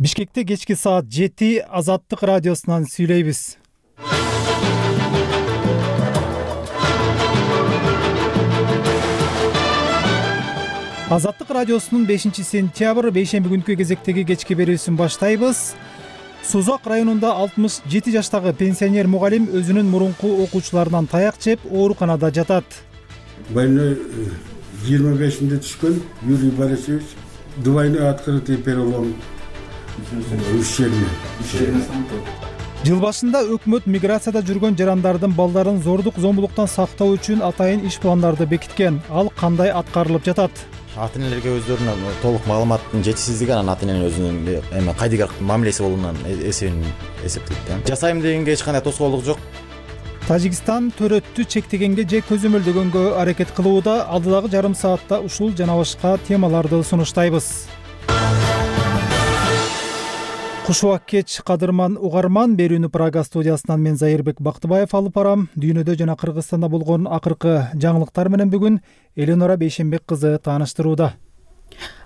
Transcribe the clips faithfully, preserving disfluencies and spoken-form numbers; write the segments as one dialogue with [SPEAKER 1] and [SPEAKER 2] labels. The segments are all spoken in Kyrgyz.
[SPEAKER 1] Бишкекте кечки саат жети Азаттык радиосунан сүйлөйбүз. Азаттык радиосунун бешинчи сентябрь бейшемби күнкү кезектеги кечки берүүсүн баштайбыз. Созак районунда алтымыш жети жаштагы пенсионер мугалим өзүнүн мурунку окуучуларынан таяк жеп ооруканада жатат.
[SPEAKER 2] Больной жыйырма бешинде түшкөн Юрий Борисович двойной открытый перелом ущербия.
[SPEAKER 1] Жыл башында өкмөт миграцияда жүргөн жарандардын балдарын зордук зомбулуктан сактоо үчүн атайын иш пландарды бекиткен. Ал кандай аткарылып жатат?
[SPEAKER 3] Ата-энелерге өздөрүнүн толук маалыматтын жетишсиздиги анан ата-эненин өзүнүн эме кайдыгер мамилеси болуунан эсебин эсептейт. Жасайм дегенге эч кандай тоскоолдук жок.
[SPEAKER 1] Тажикстан төрөттү чектегенге же көзөмөлдөгөнгө аракет кылууда. Алдыдагы жарым саатта ушул жана башка темаларды сунуштайбыз. Кушубак кеч кадырман угарман, берүүнү Прага студиясынан мен Зайырбек Бактыбаев алып барам. Дүйнөдө жана Кыргызстанда болгон акыркы жаңылыктар менен бүгүн Эленора Бейшембек кызы тааныштырууда.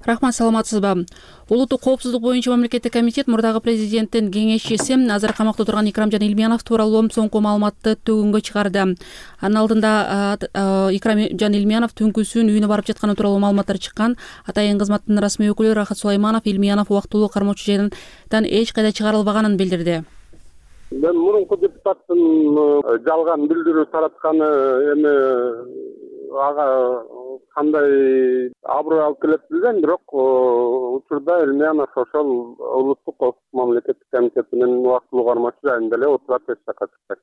[SPEAKER 4] Рахмат, саламатсызбы? Улуттук коопсуздук боюнча мамлекеттик комитет мурдагы президенттин кеңешчиси азыр камакта турган Икрамжан Илмиянов тууралуу соңку маалыматты төгүнгө чыгарды. Анын алдында Икрамжан Илмиянов түнкүсүн үйүнө барып жатканы тууралуу маалыматтар чыккан. Атайын кызматтын расмий өкүлү Рахат Сулайманов Илмиянов убактылуу кармоочу жайынан эч кайда чыгарылбаганын билдирди.
[SPEAKER 5] Мен мурунку депутаттын жалган билдирүү таратканы эми ага кандай аброй алып келет билбейм, бирок учурда Илмиянов ошол улуттук коопсуздук мамлекеттик комитетинин убактылуу кармоочу жайында эле отурат, эч жакка чыкпайт.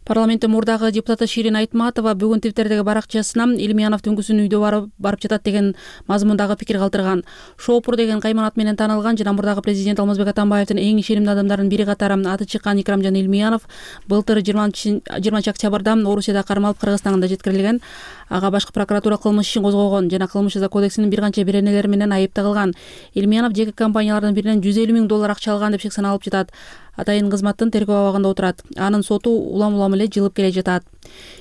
[SPEAKER 4] Парламенттин мурдагы депутаты Ширин Айтматова бүгүн Твиттердеги баракчасынан Илмиянов түнкүсүн үйдө барып барып жатат деген мазмундагы пикир калтырган. Шопур деген кайман ат менен таанылган жана мурдагы президент Алмазбек Атамбаевдин эң ишенимдүү адамдарынын бири катары аты чыккан Икрамжан Илмиянов былтыр жыйырманчы октябрда Орусияда кармалып Кыргызстанга жеткирилген. Ага башкы прокуратура кылмыш ишин козгогон жана кылмыш жаза кодексинин бир канча беренелери менен айып тагылган. Илмиянов жеке компаниялардын биринен жүз элүү миң доллар акча алган деп шек саналып жатат. Атайын кызматтын тергөө абагында отурат. Анын соту улам-улам эле жылып келе жатат.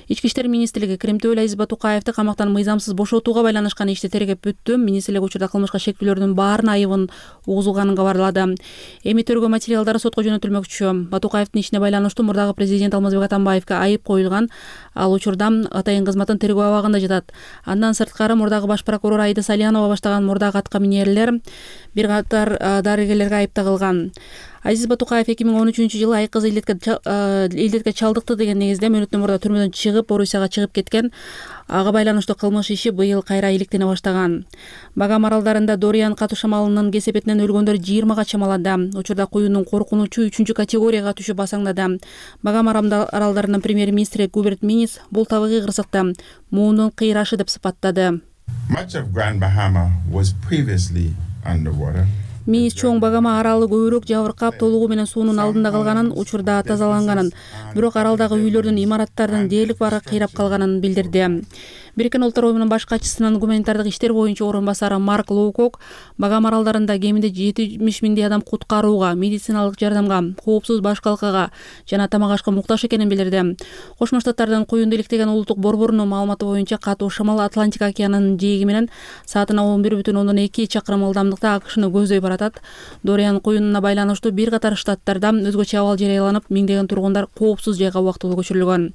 [SPEAKER 4] Ички иштер министрлиги Кремтөөлө Азиз Батукаевди камактан мыйзамсыз бошотууга байланышкан ишти тергеп бүттү. Министрлик учурда кылмышка шектүүлөрдүн баарына айыбын угузулганын кабарлады. Эми тергөө материалдары сотко жөнөтүлмөкчү. Батукаевдин ишине байланыштуу мурдагы президент Алмазбек Атамбаевге айып коюлган. Ал учурда атайын кызматтын тергөө абагында жатат. Андан сырткары мурдагы баш прокурор Айда Салянова баштаган мурдагы атка минерлер бир катар дарыгерлерге айып тагылган. Азиз Батукаев эки миң он үчүнчү жылы айкыз илдетке илдетке чалдыкты деген негизде мөөнөттөн мурда түрмөдөн чыгып Орусияга чыгып кеткен. Ага байланыштуу кылмыш иши быйыл кайра иликтене баштаган. Багам аралдарында Дориан катуу шамалынын кесепетинен өлгөндөр жыйырмага чамалады. Учурда куюнун коркунучу үчүнчү категорияга түшүп басаңдады. Багам аралдарынын премьер-министри Губерт Минис бул табигый кырсыкты муунун кыйрашы деп сыпаттады.
[SPEAKER 6] Much of Grand Bahama was previously underwater.
[SPEAKER 4] Минис чоң Багама аралы көбүрөөк жабыркап, толугу менен суунун алдында калганын, учурда тазаланганын, бирок аралдагы үйлөрдүн, имараттардын дээрлик баары кыйрап калганын билдирди. Бириккен Улуттар уюмунун баш катчысынын гуманитардык иштер боюнча орун басары Марк Лоукок Багам аралдарында кеминде жетимиш миңдей адам куткарууга, медициналык жардамга, коопсуз баш калкага жана тамак ашка муктаж экенин билдирди. Кошмо Штаттардын куюнду иликтеген улуттук борборунун маалыматы боюнча катуу шамал Атлантика океанынын жээги менен саатына он бир бүтүн ондон эки чакырым ылдамдыкта АКШны көздөй баратат. Дориан куюнуна байланыштуу бир катар штаттарда өзгөчө абал жарыяланып, миңдеген тургундар коопсуз жайга убактылуу көчүрүлгөн.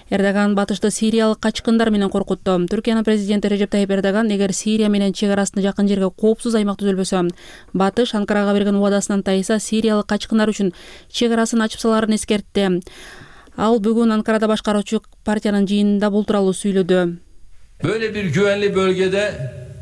[SPEAKER 4] Эрдоган батышты сириялык качкындар менен коркутту. Түркиянын президенти Режеп Тайип Эрдоган эгер Сирия менен чек арасында жакын жерге коопсуз аймак түзөлбөсө, батыш Анкарага берген убадасынан тайса сириялык качкындар үчүн чек арасын ачып саларын эскертти. Ал бүгүн Анкарада башкаруучу партиянын жыйынында бул тууралуу сүйлөдү.
[SPEAKER 7] Böyle bir güvenli bölgede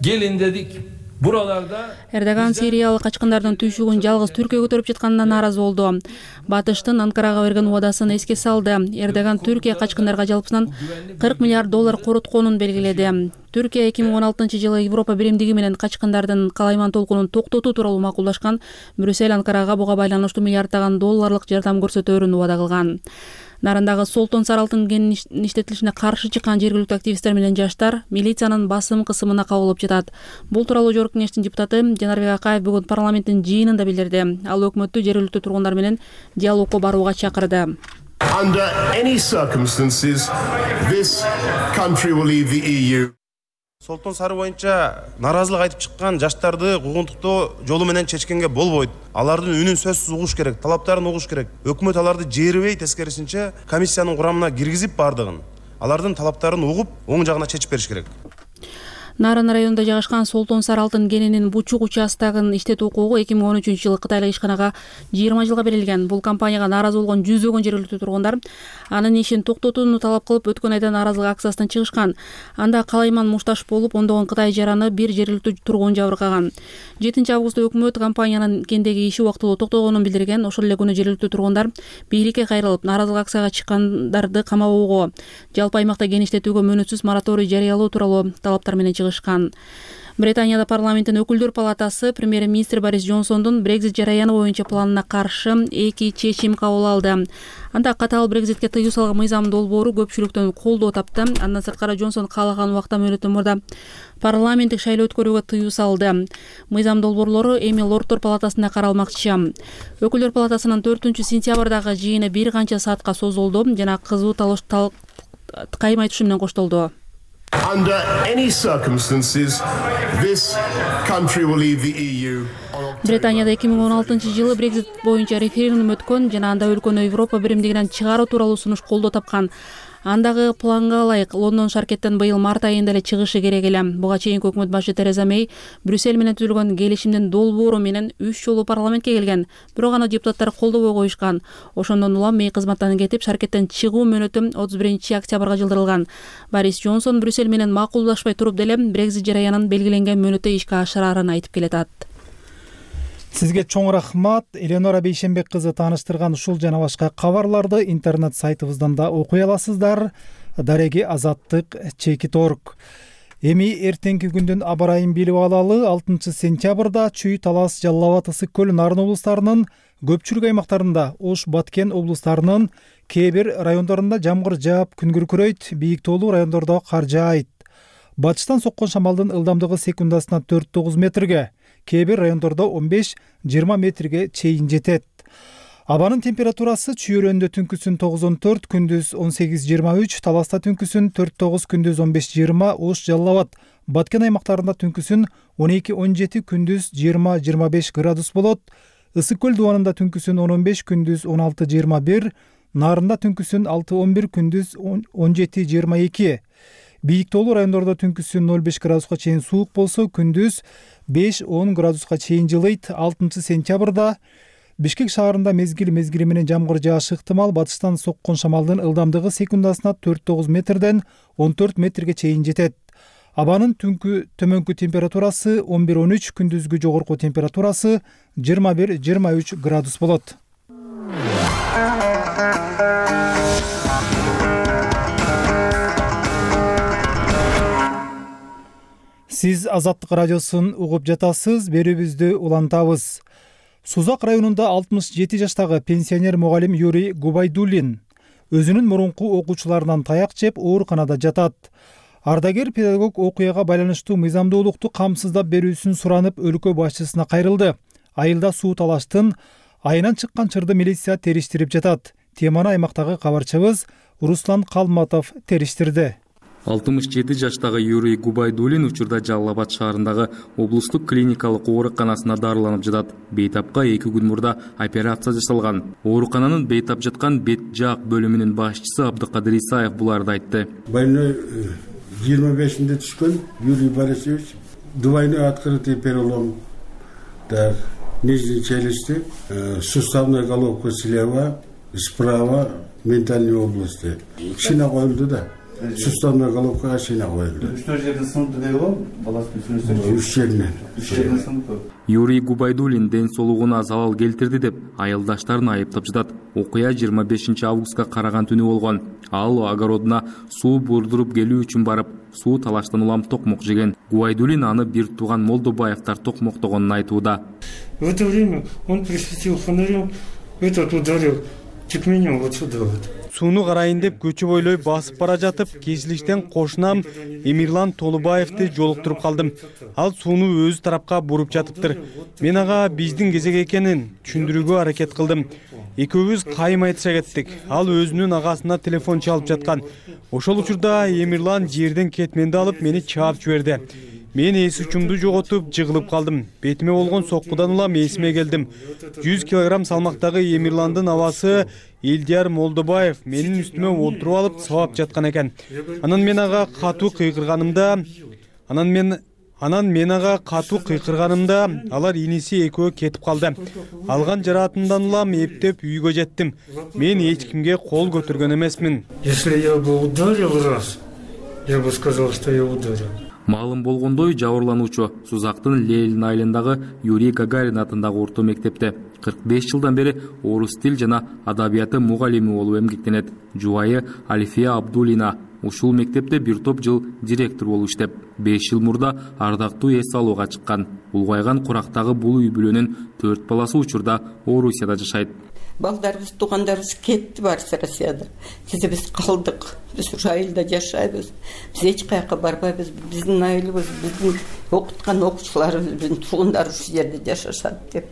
[SPEAKER 7] gelin dedik. Buralarda
[SPEAKER 4] Эрдоган сириялык качкындардын түйшүгүн жалгыз Түркия көтөрүп жатканына нааразы болду. Батыштын Анкарага берген убадасын эске салды. Эрдоган Түркия качкындарга жалпысынан кырк миллиард доллар коротконун белгиледи. Түркия эки миң он алтынчы жылы Европа биримдиги менен качкындардын калайман толкунун токтотуу тууралуу макулдашкан. Брюссель Анкарага буга байланыштуу миллиарддаган долларлык жардам көрсөтөөрүн убада кылган. Нарындагы Солтон Саралтын кен иштетилишине каршы чыккан жергиликтүү активисттер менен жаштар милициянын басым кысымына кабылып жатат. Бул тууралуу Жогорку Кеңештин депутаты Жанарбек Акаев бүгүн парламенттин жыйынында билдирди. Ал өкмөттү жергиликтүү тургундар менен диалогко барууга чакырды.
[SPEAKER 8] Under any circumstances, this country will leave the E U. Солтон Сары боюнча нааразылык айтып чыккан жаштарды куугунтуктоо жолу менен чечкенге болбойт. Алардын үнүн сөзсүз угуш керек, талаптарын угуш керек. Өкмөт аларды жээрбей, тескерисинче комиссиянын курамына киргизип бардыгын, алардын талаптарын угуп, оң жагына чечип бериш керек.
[SPEAKER 4] Нарын районунда жайгашкан Солтон Сары алтын кенинин Бучук участогун иштетүү укугу эки миң он үчүнчү жылы кытайлык ишканага жыйырма жылга берилген. Бул компанияга нааразы болгон жүздөгөн жергиликтүү тургундар анын ишин токтотууну талап кылып өткөн айда нааразылык акциясына чыгышкан. Анда калайман мушташ болуп, ондогон Кытай жараны бир жергиликтүү тургун жабыркаган. жетинчи августта өкмөт компаниянын кендеги иши убактылуу токтогонун билдирген. Ошол эле күнү жергиликтүү тургундар бийликке кайрылып, нааразылык акцияга чыккандарды камабоого, жалпы аймакта кен иштетүүгө мөөнөтсүз мораторий жарыялоо тууралуу талаптар менен чыгышкан. Британияда парламенттин өкүлдөр палатасы премьер-министр Борис Джонсондун Брекзит жараяны боюнча планына каршы эки чечим кабыл алды. Анда катаал Брекзитке тыюу салган мыйзам долбоору көпчүлүктөн колдоо тапты. Андан сырткары Джонсон каалаган убакта мөөнөттөн мурда парламенттик шайлоо өткөрүүгө тыюу салды. Мыйзам долбоорлору эми Лордтор палатасында каралмакчы. Өкүлдөр палатасынын төртүнчү сентябрдагы жыйыны бир канча саатка созулду жана кызуу талаш кайым айтышы менен коштолду.
[SPEAKER 9] Under any circumstances, this country will leave the E U.
[SPEAKER 4] Британияда эки миң он алтынчы жылы Брекзит боюнча референдум өткөн жана анда өлкөнү Европа биримдигинен чыгаруу тууралуу сунуш колдоо тапкан. Андагы планга ылайык Лондон шаркеттен быйыл март айында эле чыгышы керек эле. Буга чейинки өкмөт башы Тереза Мэй Брюссель менен түзүлгөн келишимдин долбоору менен үч жолу парламентке келген. Бирок аны депутаттар колдобой коюшкан. Ошондон улам Мэй кызматтан кетип, шаркеттен чыгуу мөөнөтү отуз биринчи октябрга жылдырылган. Борис Джонсон Брюссель менен макулдашпай туруп деле Брекзит жараянын белгиленген мөөнөттө ишке ашырарын айтып келатат.
[SPEAKER 1] Сизге чоң рахмат. Эленора Бейшенбек кызы тааныштырган ушул жана башка кабарларды интернет сайтыбыздан да окуй аласыздар. Дареги азаттык чекит точка орг. Эми эртеңки күндүн аба ырайын билип алалы. алтынчы сентябрда Чүй, Талас, Жалал Абад, Ысык көл, Нарын облустарынын көпчүлүк аймактарында, Ош, Баткен облустарынын кээ бир райондорунда жамгыр жаап, күн күркүрөйт, бийик тоолуу райондордо кар жаайт. Батыштан соккон шамалдын ылдамдыгы секундасына төрт тогуз метрге, кээ бир райондордо он беш жыйырма метрге чейин жетет. Абанын температурасы Чүйөрөндө түнкүсүн тогуз он төрт, күндүз он сегиз жыйырма үч, Таласта түнкүсүн төрт тогуз, күндүз он беш жыйырма, Ош, Жалал Абад, Баткен аймактарында түнкүсүн он эки он жети, күндүз жыйырма жыйырма беш градус болот. Ысык көл дубанында түнкүсүн он он беш, күндүз он алты жыйырма бир, Нарында түнкүсүн алты он бир, күндүз он жети жыйырма эки. Бийик тоолуу райондордо түнкүсүн ноль беш градуска чейин суук болсо, күндүз беш он градуска чейин жылыйт. алтынчы сентябрда Бишкек шаарында мезгил мезгили менен жамгыр жаашы ыктымал. Батыштан соккон шамалдын ылдамдыгы секундасына төрт тогуз метрден он төрт метрге чейин жетет. Абанын түнкү төмөнкү температурасы он бир он үч, күндүзгү жогорку температурасы жыйырма бир жыйырма үч градус болот. Сиз Азаттык радиосун угуп жатасыз. Берүүбүздү улантабыз. Сузак районунда алтымыш жети жаштагы пенсионер мугалим Юрий Губайдуллин өзүнүн мурунку окуучуларынан таяк жеп ооруканада жатат. Ардагер педагог окуяга байланыштуу мыйзамдуулукту камсыздап берүүсүн суранып өлкө башчысына кайрылды. Айылда суу талаштын айынан чыккан чырды милиция териштирип жатат. Теманы аймактагы кабарчыбыз Руслан Калматов териштирди.
[SPEAKER 10] алтымыш жети жаштагы Юрий Губайдуллин учурда Жалал Абад шаарындагы облустук клиникалык ооруканасына дарыланып жатат. Бейтапка эки күн мурда операция жасалган. Оорукананын бейтап жаткан бет жаак бөлүмүнүн башчысы Абдыкадыр Исаев буларды айтты.
[SPEAKER 2] Больной жыйырма бешинде түшкөн Юрий Борисович. Двойной открытый перелом нижней челюсти, суставная головка слева, справа ментальной области. Шина коюлду да. Суставная головкага шина коюлду.
[SPEAKER 11] Что жерде сынды деп алам? Баласын сүрөсө.
[SPEAKER 2] Үч жеринен.
[SPEAKER 11] Үч жеринен сынды.
[SPEAKER 10] Юрий Губайдуллин ден соолугуна залал келтирди деп айылдаштарын айыптап жатат. Окуя жыйырма бешинчи августка караган түнү болгон. Ал огородуна суу бурдуруп келүү үчүн барып, суу талаштан улам токмок жеген. Губайдуллин аны бир тууган Молдобаевтар токмоктогонун айтууда.
[SPEAKER 12] В это время он присветил фонарем, этот ударил Сууну карайын деп көчө бойлой басып бара жатып, кесилиштен кошунам Эмирлан Толубаевди жолуктуруп калдым. Ал сууну өзү тарапка буруп жатыптыр. Мен ага биздин кезек экенин түшүндүрүүгө аракет кылдым. Экөөбүз кайым айтыша кеттик. Ал өзүнүн агасына телефон чалып жаткан. Ошол учурда Эмирлан жерден кетменди алып мени чаап жиберди. Мен эс учумду жоготуп жыгылып калдым. Бетиме болгон соккудан улам эсиме келдим. жүз килограмм салмактагы Эмирландын абасы Элдияр Молдобаев менин үстүмө олтуруп алып сабап жаткан экен. Анан мен ага катуу кыйкырганымда, анан мен Анан мен ага катуу кыйкырганымда алар иниси экөө кетип калды. Алган жараатымдан улам эптеп үйгө жеттим. Мен эч кимге кол көтөргөн эмесмин.
[SPEAKER 13] Если я бы ударил раз, я бы сказал, что я ударил.
[SPEAKER 10] Маалым болгондой, жабырлануучу Сузактын Лелин айылындагы Юрий Гагарин атындагы орто мектепте кырк беш жылдан бери орус тил жана адабияты мугалими болуп эмгектенет. Жубайы Альфия Абдулина ушул мектепте бир топ жыл директор болуп иштеп, беш жыл мурда ардактуу эс алууга чыккан. Улгайган курактагы бул үй бүлөнүн төрт баласы учурда Орусияда жашайт.
[SPEAKER 14] Балдарыбыз, туугандарыбыз кетти барысы Россияда. Биз биз калдык. Биз ушу айылда жашайбыз. Биз эч каяка барбайбыз. Биздин айылыбыз, биздин окуткан окуучуларыбыз, биздин туугандар ушу жерде жашашат деп.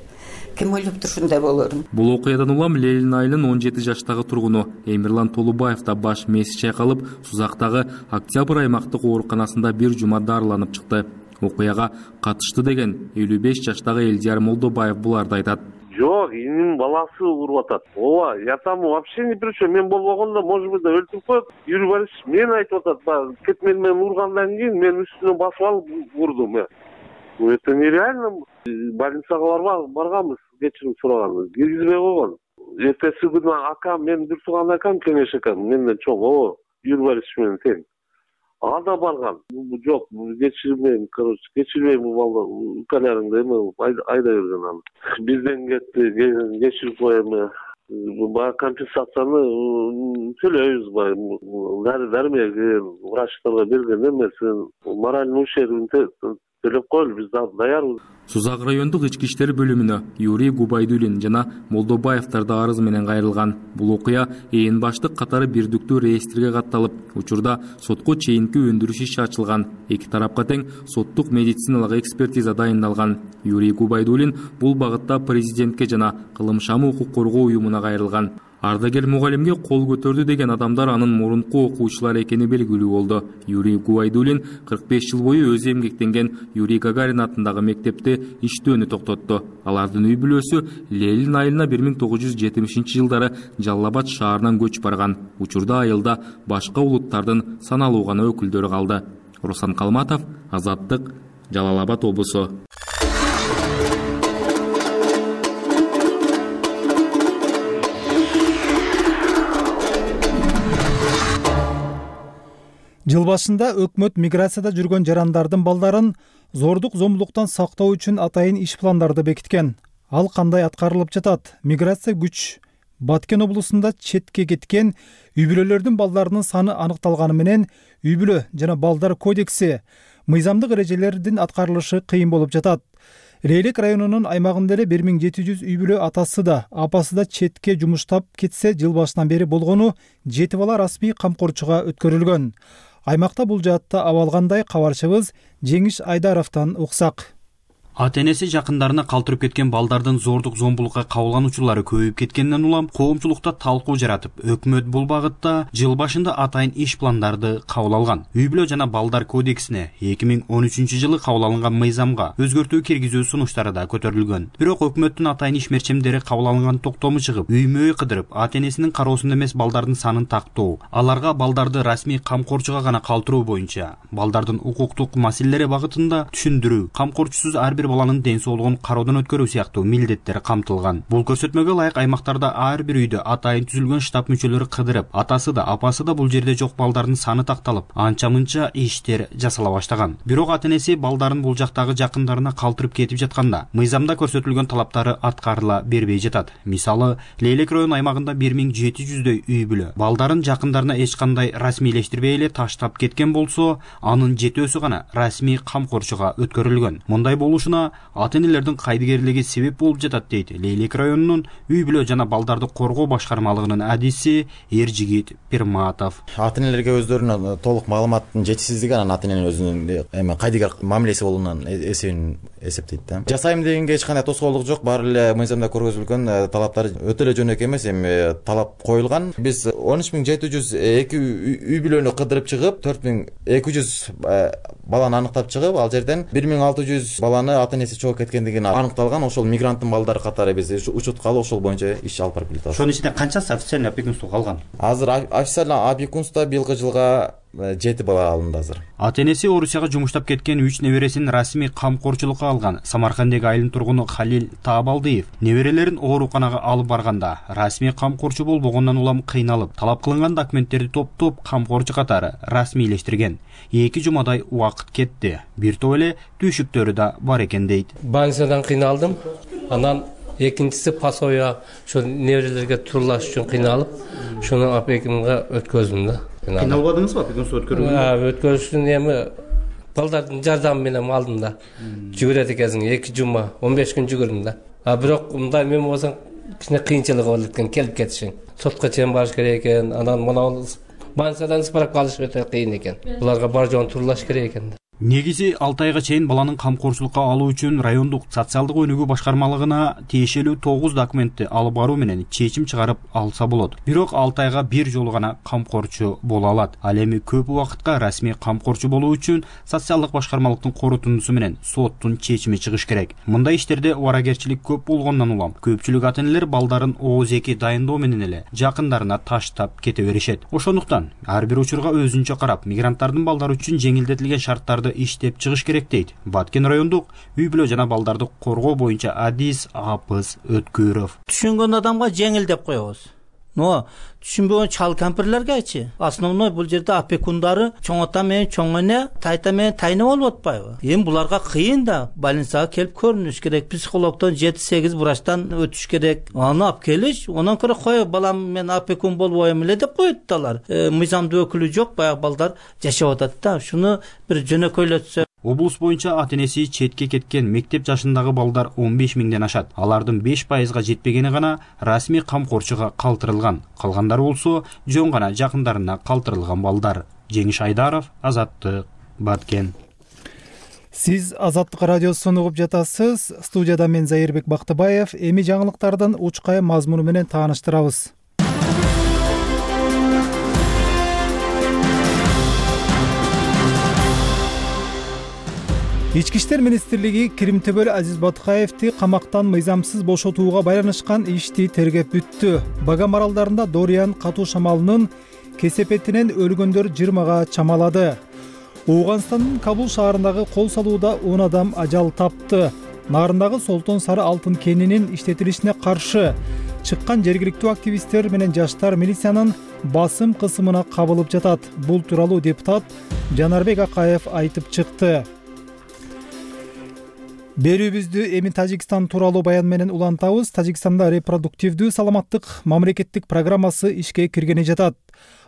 [SPEAKER 14] Ким ойлоп турушундай болорун.
[SPEAKER 10] Бул окуядан улам Лелин айылынын он жети жаштагы тургуну Эмирлан Толубаев да баш мээси чайкалып, Сузактагы Октябрь аймактык ооруканасында бир жума дарыланып чыкты. Окуяга катышты деген элүү беш жаштагы Элдияр Молдобаев буларды айтат.
[SPEAKER 15] Жок, инин баласы уруп атат. Ооба, я там вообще не при чем. Мен болбогондо, может быть, өлтүрүп коет. Юрий Борисович мен айтып атат, кетмен менен ургандан кийин мен үстүнө басып алып урдум. Это нереально. Больницага барганбыз, кечирим сураганбыз. Киргизбей койгон. Эртеси күнү акам, мен бир тууган акам Кеңеш акам, менден чоң. О, Юрий Борисович менен тең. Ага да барган. Жок, кечирбейм, короче, кечирбейм бул балдар. Укаларыңды эме айда берген аны. Бизден кетти, кечирип коем. Баа компенсацияны төлөйбүз баа. Дармек врачтарга берген эмес. Моральный ущербин төлөп коелу, биз даярбыз.
[SPEAKER 10] Сузак райондук ички иштер бөлүмүнө Юрий Губайдулин жана Молдобаевдар да арыз менен кайрылган. Бул окуя ээн баштык катары бирдиктүү реестрге катталып, учурда сотко чейинки өндүрүш иши ачылган. Эки тарапка тең соттук медициналык экспертиза дайындалган. Юрий Губайдулин бул багытта президентке жана Кылымшам укук коргоо уюмуна кайрылган. Ардагер мугалимге кол көтөрдү деген адамдар анын мурунку окуучулар экени белгилүү болду. Юрий Губайдулин кырк беш жыл бою өзү эмгектенген Юрий Гагарин атындагы мектепте иштөөнү токтотту. Алардын үй бүлөсү Лелин айылына бир миң тогуз жүз жетимишинчи жылдары Жалал Абад шаарынан көчүп барган. Учурда айылда башка улуттардын саналуу гана өкүлдөрү калды. Руслан Калматов, Азаттык, Жалал Абад облусу.
[SPEAKER 1] Жыл башында өкмөт миграцияда жүргөн жарандардын балдарын зордук зомбулуктан сактоо үчүн атайын иш пландарды бекиткен. Ал кандай аткарылып жатат? Миграция күч Баткен облусунда четке кеткен үй бүлөлөрдүн балдарынын саны аныкталганы менен үй бүлө жана балдар кодекси мыйзамдык эрежелердин аткарылышы кыйын болуп жатат. Рейлек районунун аймагында эле бир миң жети жүз үй бүлө атасы да, апасы да четке жумуштап кетсе, жыл башынан бери болгону жети бала расмий камкорчуга өткөрүлгөн. Аймакта бул жаатта абал кандай? Кабарчыбыз Жеңиш Айдаровдон уксак.
[SPEAKER 16] Ата-энеси жакындарына калтырып кеткен балдардын зордук зомбулукка кабылгануучулары көбөйүп кеткенден улам коомчулукта талкуу жаратып, өкмөт бул багытта жыл башында атайын иш пландарды кабыл алган. Үй бүлө жана балдар кодексине эки миң он үчүнчү жылы кабыл алынган мыйзамга өзгөртүү киргизүү сунуштары да көтөрүлгөн. Бирок өкмөттүн атайын иш мерчемдери кабыл алынган токтому чыгып, үймө кыдырып, ата-энесинин кароосунда эмес балдардын санын тактоо, аларга балдарды расмий камкорчуга гана калтыруу боюнча балдардын укуктук маселелери багытында түшүндүрүү, камкорчусуз ар бир баланын ден соолугун кароодон өткөрүү сыяктуу милдеттер камтылган. Бул көрсөтмөгө ылайык аймактарда ар бир үйдө атайын түзүлгөн штаб мүчөлөрү кыдырып, атасы да, апасы да бул жерде жок балдардын саны такталып, анча-мынча иштер жасала баштаган. Бирок ата-энеси балдарын бул жактагы жакындарына калтырып кетип жатканда, мыйзамда көрсөтүлгөн талаптары аткарыла бербей жатат. Мисалы, Лейлек район аймагында бир миң жети жүздөй үй бүлө балдарын жакындарына эч кандай расмийлештирбей эле таштап кеткен болсо, анын жетөөсү гана расмий камкорчуга өткөрүлгөн. Мындай болушун болуусуна ата энелердин кайдыгерлиги себеп болуп жатат дейт Лейлек районунун үй бүлө жана балдарды коргоо башкармалыгынын адиси Эржигит Пирматов.
[SPEAKER 3] Ата энелерге өздөрүнүн толук маалыматтын жетишсиздиги анан ата эненин өзүнүн эме кайдыгер мамилеси болуунан эсебин эсептейт да. Жасайм дегенге эч кандай тоскоолдук жок. Баары эле мыйзамда көргөзүлгөн талаптар өтө эле жөнөкөй эмес, эми талап коюлган. Биз он үч миң жети жүз эки үй бүлөнү кыдырып чыгып, төрт миң эки жүз баланы аныктап чыгып, ал жерден бир миң алты жүз баланы ата энеси чогуу кеткендиги аныкталган. Ошол мигранттын балдары катары биз учуткалы ошол боюнча иш алып барып келатабыз.
[SPEAKER 16] Ошонун ичинде канчасы официальный опекунство калган?
[SPEAKER 3] Азыр официальный опекунство быйылкы жылга жети бала алынды азыр.
[SPEAKER 16] Ата энеси Орусияга жумуштап кеткен үч небересин расмий камкорчулукка алган Самарканддагы айылдын тургуну Халил Таабалдиев неберелерин ооруканага алып барганда расмий камкорчу болбогондон улам кыйналып, талап кылынган документтерди топтоп камкорчу катары расмийлештирген. эки жумадай убакыт кетти. Бир топ эле түйшүктөрү да бар экен дейт.
[SPEAKER 17] Больницадан кыйналдым. Анан экинчиси пособие ошо неберелерге турлаш үчүн кыйналып, шуну опекунга өткөздүм да.
[SPEAKER 16] Кыйналбадыңызбы опекунство өткөрүүгө?
[SPEAKER 17] Өткөрүштүн эми балдардын жардамы менен алдым да. Жүгүрөт экенсиң, эки жума, он беш күн жүгүрдүм да. А бирок мындай мен болсоң кичине кыйынчылыгы болот экен, келип кетишиң. Сотко чейин барыш керек экен, анан мына больницадан справка алыш өтө кыйын экен. Буларга бар жоон турлаш керек экен.
[SPEAKER 16] Негизи алты айга чейин баланын камкорчулукка алуу үчүн райондук социалдык өнүгүү башкармалыгына тиешелүү тогуз документти алып баруу менен чечим чыгарып алса болот. Бирок алты айга бир жолу гана камкорчу боло алат. Ал эми көп убакытка расмий камкорчу болуу үчүн социалдык башкармалыктын корутундусу менен соттун чечими чыгыш керек. Мындай иштерде убаракерчилик көп болгондон улам көпчүлүк ата энелер балдарын ооз эки дайындоо менен эле жакындарына таштап кете беришет. Ошондуктан ар бир учурга өзүнчө карап, мигранттардын балдары үчүн жеңилдетилген шарттарды иштеп чыгыш керек дейт Баткен райондук үй бүлө жана балдарды коргоо боюнча адис Апыз Өткүров.
[SPEAKER 18] Түшүнгөн адамга жеңил деп коебуз. Но түшүнбөгөн чал кампирлергечи основной бул жерде опекундары чоң ата менен чоң эне, тайта менен тайна болуп атпайбы? Эми буларга кыйын да, больницага келип көрүнүш керек, психологдон жети сегиз врачтан өтүш керек. Аны алып келиш, онан көрө кой балам мен опекун болбойм эле деп коет да алар. Мыйзамдуу өкүлү жок, баягы балдар жашап атат да. Шуну бир жөнөкөйлөтсө.
[SPEAKER 16] Облус боюнча ата энеси четке кеткен мектеп жашындагы балдар он беш миңден ашат. Алардын беш пайызга жетпегени гана расмий камкорчуга калтырылган. Калгандары болсо жөн гана жакындарына калтырылган балдар. Жеңиш Айдаров, Азаттык, Баткен.
[SPEAKER 1] Сиз Азаттык радиосун угуп жатасыз. Студияда мен Зайырбек Бактыбаев. Эми жаңылыктардын учкай мазмуну менен тааныштырабыз. Ички иштер министрлиги Киримтөбөл Азиз Батыкаевди камактан мыйзамсыз бошотууга байланышкан ишти тергеп бүттү. Багам аралдарында Дориан катуу шамалынын кесепетинен өлгөндөр жыйырмага чамалады. Ооганстандын Кабул шаарындагы кол салууда он адам ажал тапты. Нарындагы Солтон сары алтын кенинин иштетилишине каршы чыккан жергиликтүү активисттер менен жаштар милициянын басым кысымына кабылып жатат. Бул тууралуу депутат Жанарбек Акаев айтып чыкты. Берүүбүздү эми Тажикстан тууралуу баян менен улантабыз. Тажикстанда репродуктивдүү саламаттык мамлекеттик программасы ишке киргени жатат.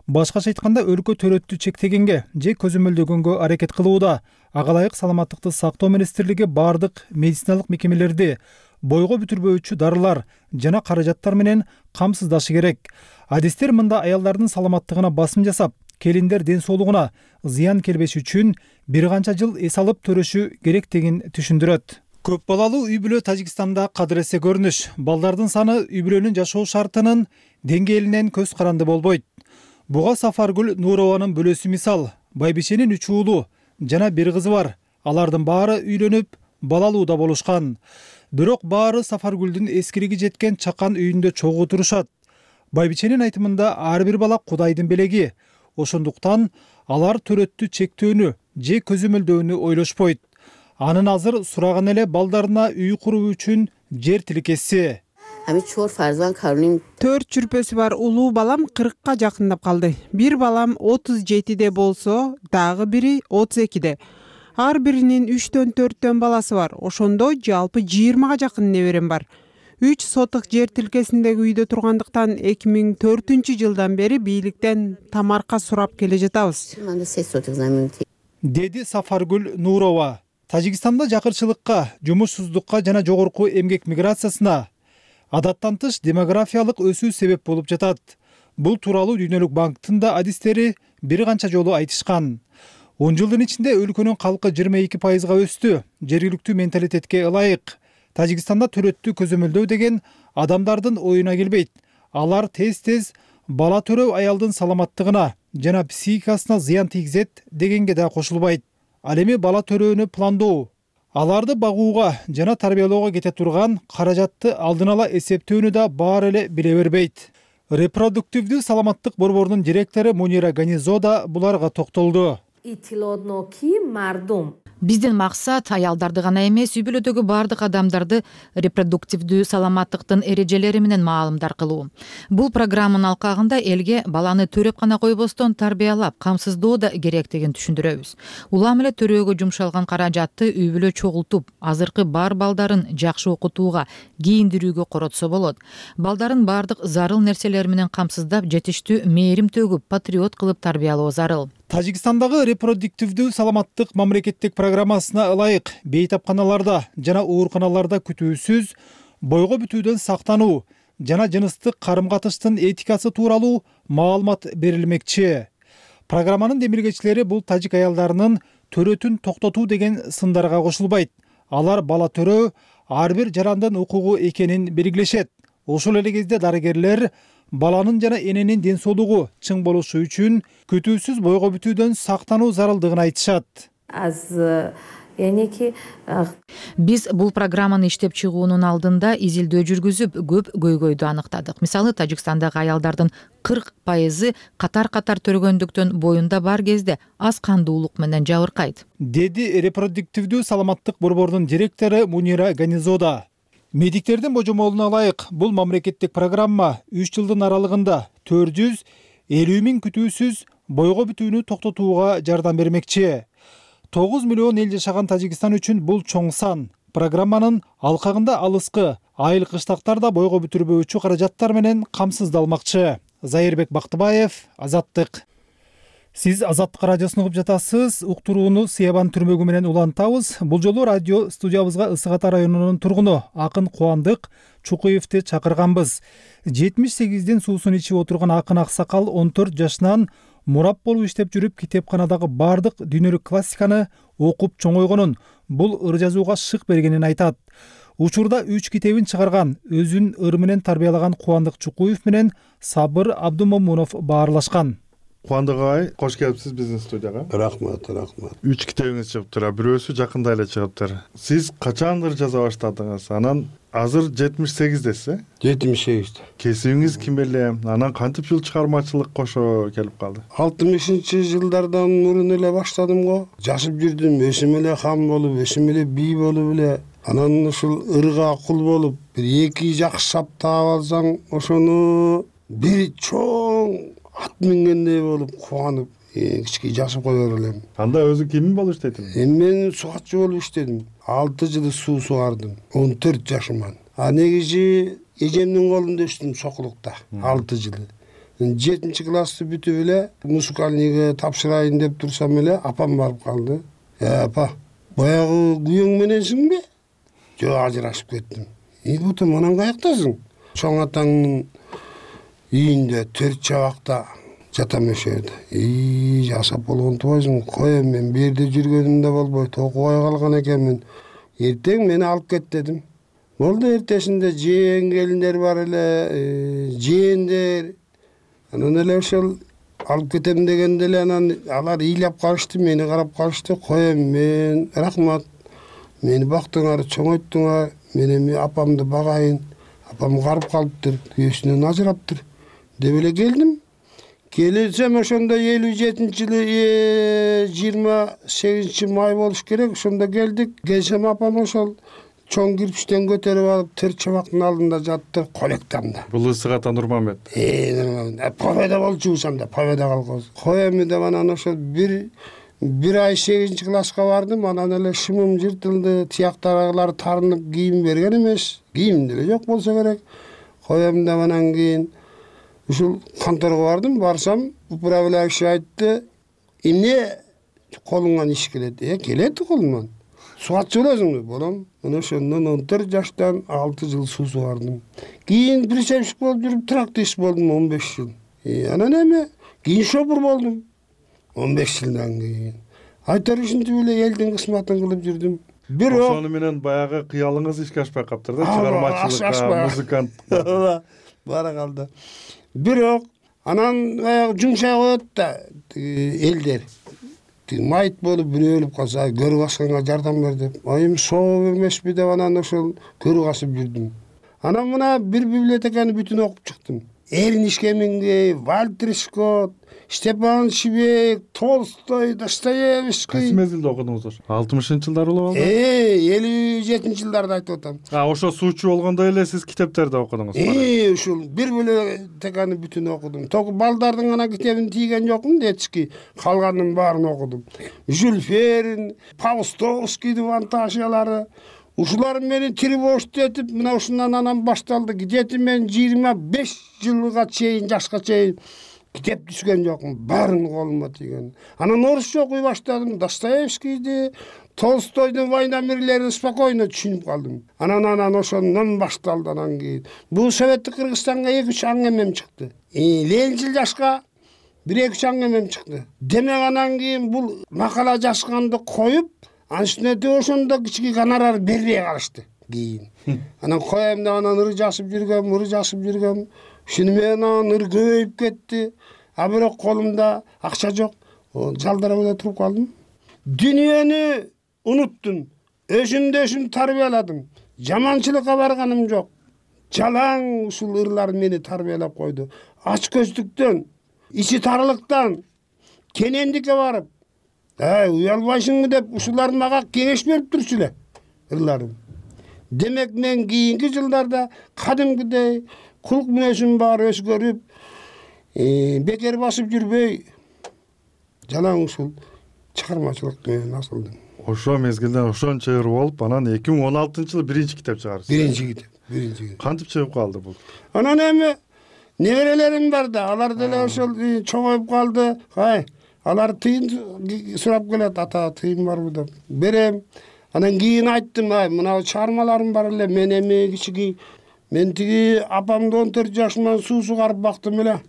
[SPEAKER 1] Башкача айтканда өлкө төрөттү чектегенге же көзөмөлдөгөнгө аракет кылууда. Ага ылайык саламаттыкты сактоо министрлиги бардык медициналык мекемелерди бойго бүтүрбөөчү дарылар жана каражаттар менен камсыздашы керек. Адистер мында аялдардын саламаттыгына басым жасап, келиндер ден соолугуна зыян келбеш үчүн бир канча жыл эс алып төрөшү керектигин түшүндүрөт. Көп балалуу үй бүлө Тажикстанда кадыресе көрүнүш. Балдардын саны үй бүлөнүн жашоо шартынын деңгээлинен көз каранды болбойт. Буга Сафаргүл Нурованын бөлөсү мисал. Байбишенин үч уулу жана бир кызы бар. Алардын баары үйлөнүп, балалуу да болушкан. Бирок баары Сафаргүлдүн эскириги жеткен чакан үйүндө чогуу турушат. Байбиченин айтымында ар бир бала Кудайдын белеги. Ошондуктан алар төрөттү чектөөнү же көзөмөлдөөнү ойлошпойт. Анын азыр сураган эле балдарына үй куруу үчүн жер тилкеси.
[SPEAKER 19] Төрт чүрпөсү бар улуу балам кыркка жакындап калды. Бир балам отуз жетиде болсо, дагы бири отуз экиде. Ар биринин үчтөн төрттөн баласы бар. Ошондо жалпы жыйырмага жакын неберем бар. үч сотук жер тилкесиндеги үйдө тургандыктан эки миң төртүнчү жылдан бери бийликтен тамарка сурап келе жатабыз. Деди Сафаргүл Нурова.
[SPEAKER 1] Тажикстанда жакырчылыкка, жумушсуздукка жана жогорку эмгек миграциясына адаттан тыш демографиялык өсүү себеп болуп жатат. Бул тууралуу Дүйнөлүк банктын да адистери бир канча жолу айтышкан. он жылдын ичинде өлкөнүн калкы жыйырма эки пайызга өстү. Жергиликтүү менталитетке ылайык Тажикстанда төрөттү көзөмөлдөө деген адамдардын оюна келбейт. Алар тез-тез бала төрөө аялдын саламаттыгына жана психикасына зыян тийгизет дегенге да кошулбайт. Ал эми бала төрөөнү пландоо, аларды багууга жана тарбиялоого кете турган каражатты алдын ала эсептөөнү да баары эле биле бербейт. Репродуктивдүү саламаттык борборунун директору Мунира Ганизо да буларга токтолду.
[SPEAKER 20] Биздин максат аялдарды гана эмес, үй бүлөдөгү бардык адамдарды репродуктивдүү саламаттыктын эрежелери менен маалымдар кылуу. Бул программанын алкагында элге баланы төрөп гана койбостон тарбиялап, камсыздоо да керектигин түшүндүрөбүз. Улам эле төрөөгө жумшалган каражатты үй бүлө чогултуп, азыркы бар балдарын жакшы окутууга, кийиндирүүгө коротсо болот. Балдарын бардык зарыл нерселер менен камсыздап, жетиштүү мээрим төгүп, патриот кылып тарбиялоо зарыл.
[SPEAKER 1] Тажикстандагы репродуктивдүү саламаттык мамлекеттик программасына ылайык бейтапканаларда жана ооруканаларда күтүүсүз бойго бүтүүдөн сактануу жана жыныстык карым-катыштын этикасы тууралуу маалымат берилмекчи. Программанын демилгечилери бул тажик аялдарынын төрөтүн токтотуу деген сындарга кошулбайт. Алар бала төрөө ар бир жарандын укугу экенин белгилешет. Ошол эле кезде дарыгерлер баланын жана эненин ден соолугу чың болушу үчүн күтүүсүз бойго бүтүүдөн сактануу зарылдыгын айтышат.
[SPEAKER 20] Биз бул программаны иштеп чыгуунун алдында изилдөө жүргүзүп, көп көйгөйдү аныктадык. Мисалы, Тажикстандагы аялдардын кырк пайызы катар-катар төрөгөндүктөн боюнда бар кезде аз кандуулук менен жабыркайт,
[SPEAKER 1] деди репродуктивдүү саламаттык борборунун директору Мунира Ганизода. Медиктердин божомолуна ылайык бул мамлекеттик программа үч жылдын аралыгында төрт жүз элүү миң күтүүсүз бойго бүтүүнү токтотууга жардам бермекчи. тогуз миллион эл жашаган Тажикстан үчүн бул чоң сан. Программанын алкагында алыскы айыл кыштактар да бойго бүтүрбөөчү каражаттар менен камсыздалмакчы. Зайырбек Бактыбаев, Азаттык. Сиз Азаттык радиосун угуп жатасыз. Уктурууну Сыябан түрмөгү менен улантабыз. Бул жолу радио студиябызга Ысык Ата районунун тургуну Акын Кубандык Чукуевди чакырганбыз. жетимиш сегиздин суусун ичип отурган Акын аксакал он төрт жашынан мурап болуп иштеп жүрүп китепканадагы бардык дүйнөлүк классиканы окуп чоңойгонун, бул ыр жазууга шык бергенин айтат. Учурда үч китебин чыгарган, өзүн ыр менен тарбиялаган Кубандык Чукуев менен Сабыр Абдумомунов баарлашкан.
[SPEAKER 21] Кубандык агай, кош келипсиз биздин студияга.
[SPEAKER 2] Рахмат, рахмат.
[SPEAKER 21] Үч китебиңиз чыгыптыр, бирөөсү жакында эле чыгыптыр. Сиз качандыр жаза баштадыңыз? Анан азыр жетимиш сегиздесиз, э?
[SPEAKER 2] жетимиш сегизде.
[SPEAKER 21] Кесибиңиз ким эле? Анан кантип жыл чыгармачылык кошо келип калды?
[SPEAKER 2] алтымышынчы жылдардан мурун эле баштадым го. Жашып жүрдүм, өсүм эле хан болуп, өсүм эле бий болуп эле. Анан ушул ырга кул болуп, бир эки жакшы сап таап алсаң, ошону бир чоң ат мингендей болуп кубанып, кичке жашып кое элем.
[SPEAKER 21] Анда өзү ким болуп иштедиң?
[SPEAKER 2] Эми мен сугатчы болуп иштедим. алты жыл суу сугардым, он төрт жашыман. А негизи эжемдин колунда өстүм сокулукта, алты жыл. жетинчи классты бүтүп эле музыкальныйга тапшырайын деп турсам эле апам барып калды. Э, апа, баягы күйөөң мененсиңби? Жок, ажырашып кеттим. И бутум, анан каяктасың? Чоң атаңдын үйүндө төрт чабакта жатам ошол жерде. И жасап болгон тубайсың, коем, мен бул жерде жүргөнүм да болбойт, окубай калган экенмин. Эртең мени алып кет дедим. Болду, эртесинде жээн келиндер бар эле, жээндер. Анан эле ошол алып кетем дегенде эле анан алар ыйлап калышты, мени карап калышты. Коем, мен рахмат. Мени бактыңар, чоңойттуңар. Мен эми апамды багайын. Апам карып калыптыр, күйөөсүнөн ажыраптыр деп эле келдим. Келсем ошондо элүү жетинчи жылы жыйырма сегизинчи май болуш керек, ошондо келдик. Келсем апам ошол чоң кирпичтен көтөрүп алып төрт чабактын алдында жатты, колектамда.
[SPEAKER 21] Бул Ысык Ата Нурмамет.
[SPEAKER 2] Э, Нурмамет. Победа болчубусам да, победа калгыз. Коем деп анан ошол бир бир ай сегизинчи класска бардым, анан эле шымым жыртылды, тияктарылар тарынып, кийим берген эмес. Кийим деле жок болсо керек. Коем деп анан кийин ушул конторго бардым, барсам, управляющий айтты, эмне колуңан иш келет? Э, келет колуман. сугатчы болосуңбу? Болом. Мына ошондон он төрт жаштан алты жыл суу сугардым. Кийин причепщик болуп жүрүп тракторист болдум он беш жыл. Анан эми кийин шопур болдум он беш жылдан кийин. Айтар ушинтип эле элдин кызматын кылып жүрдүм. Бирок
[SPEAKER 21] ошону менен баягы кыялыңыз ишке ашпай каптыр да, чыгармачылыкка, музыкант.
[SPEAKER 2] Бара калды. Бирок анан баягы жумшай коет да элдер. Майыт болуп бирөө өлүп калса, көрүп асканга жардам бер деп. Айым соо эмеспи деп анан ошол көрүп асып жүрдүм. Анан мына бир библиотеканы бүтүн окуп чыктым. Эрниш Хемингуэй, Вальтер Скотт, Степан Швейк, Толстой, Достоевский.
[SPEAKER 21] Кайсы мезгилде окудуңуз ошо? алтымышынчы жылдары болобу?
[SPEAKER 2] Э, элүү жетинчи жылдарда айтып атам.
[SPEAKER 21] А, ошо суучу болгондо эле сиз китептерди окудуңуз?
[SPEAKER 2] Э, ушул бир библиотеканы бүтүн окудум. Ток балдардын гана китебин тийген жокмун, детский. Калганын баарын окудум. Жюль Верн, Паустовскийдин фантазиялары. Ушулар мени тревожт этип, мына ушундан анан башталды. Где-то мен жыйырма беш жылга чейин, жашка чейин китеп түшкөн жокмун. Баарын колума тийген. Анан орусча окуй баштадым. Достоевскийди, Толстойдун «Война мирлерин» спокойно түшүнүп калдым. Анан анан ошондон башталды анан кийин. Бул Советтик Кыргызстанга эки үч аңгемем чыкты. Ленинчил жашка бир эки үч аңгемем чыкты. Демек анан кийин бул макала жазганды коюп, анын үстүнө ошондо кичине гонорар бербей калышты кийин. Анан коем деп анан ыр жазып жүргөм, ыр жазып жүргөм. Ушуну менен анан ыр көбөйүп кетти. А бирок колумда акча жок. Жалдарап эле туруп калдым. Дүйнөнү унуттум. Өзүмдү өзүм тарбияладым. Жаманчылыкка барганым жок. Жалаң ушул ырлар мени тарбиялап койду. Ач көздүктөн, ичи тарылыктан, кенендикке барып, «Эй, уялбайсыңбы?» деп ушулар мага кеңеш берип турчу эле ырларым. Демек мен кийинки жылдарда кадимкидей кулк мүнөзүм бар өзгөрүп, бекер басып жүрбөй, жалаң ушул чыгармачылык менен асылдым.
[SPEAKER 21] Ошо мезгилде ошончо ыр болуп, анан эки миң он алтынчы жылы биринчи китеп чыгардыңыз.
[SPEAKER 2] Биринчи китеп, биринчи китеп.
[SPEAKER 21] Кантип чыгып калды бул?
[SPEAKER 2] Анан эми неберелерим бар да, алар деле ошол чоңоюп калды. Кай, алар тыйын сурап келет, ата тыйын барбы деп. Берем. Анан кийин айттым, ай, мына чыгармаларым бар эле, мен эми кичиги, мен тиги апамды он төрт жашыман суу сугарып бактым эле.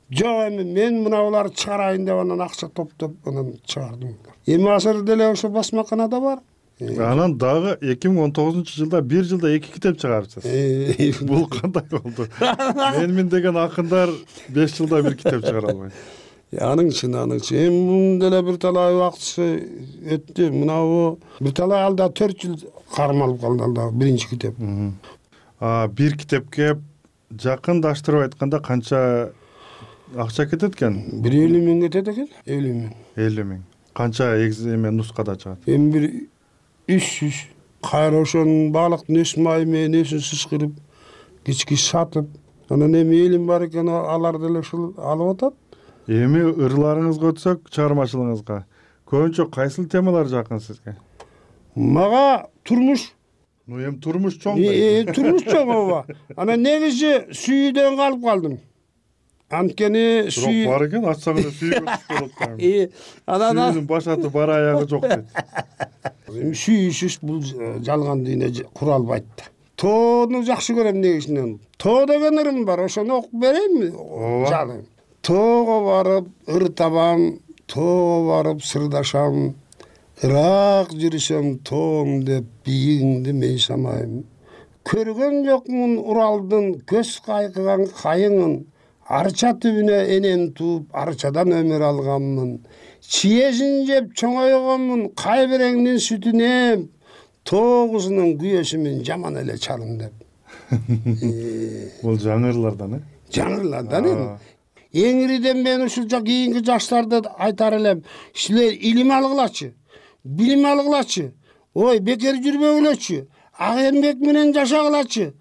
[SPEAKER 2] Жок, эми мен мына буларды чыгарайын деп анан акча топтоп анан чыгардым. Эми азыр деле ошо басмаканада бар.
[SPEAKER 21] Анан дагы эки миң он тогузунчу жылда бир жылда эки китеп чыгарыпсыз. Бул кандай болду? Менмин деген акындар беш жылда бир китеп чыгара албайт.
[SPEAKER 2] Анын үчүн, анын үчүн. Эми мунун деле бир талай убакыты өттү. Мынабу бир талай алда төрт жыл кармалып калды алда биринчи китеп.
[SPEAKER 21] А бир китепке жакындаштырып айтканда канча акча кетет экен?
[SPEAKER 2] бир элүү миң кетет экен. элүү миң.
[SPEAKER 21] элүү миң. Канча эме нускада чыгат?
[SPEAKER 2] Эми бир үч жүз. Кайра ошонун баалыктын өс майы менен өсүн сыскырып, кички сатып, анан эми элим бар экен, алар деле ушул алып атат.
[SPEAKER 21] Эми ырларыңызга өтсөк, чыгармачылыгыңызга көбүнчө кайсыл темалар жакын сизге?
[SPEAKER 2] Мага турмуш.
[SPEAKER 21] Ну эми турмуш чоң.
[SPEAKER 2] Э, турмуш чоң ооба. Анан негизи сүйүүдөн калып калдым. Анткени сүй
[SPEAKER 21] бар экен, ачсаң эле сүйгө түшүп болот.
[SPEAKER 2] Э, анан
[SPEAKER 21] сүйүүнүн баш аты бар аягы жок дейт.
[SPEAKER 2] Эми сүйүүсүз бул жалган дүйнө кура албайт да. Тоону жакшы көрөм негизинен. Тоо деген ырым бар, ошону окуп берейинби? Ооба. Тоого барып ыр табам, тоого барып сырдашам, ырак жүрүсөм тоом деп бийигиңди мен самайм. Көргөн жокмун Уралдын көз кайкыган кайыңын, арча түбүнө энем тууп, арчадан өмүр алганмын. Чиезин жеп чоңойгонмун, кайбереңдин сүтүн эм, тоо кызынын күйөөсүмүн жаман эле чалым деп.
[SPEAKER 21] Бул жаңырлардан, э?
[SPEAKER 2] Жаңырлардан эми. Эңириден мен ушул кийинки жаштарды айтар элем, силер илим алгылачы, билим алгылачы, ой, бекер жүрбөгүлөчү, ак эмгек менен жашагылачы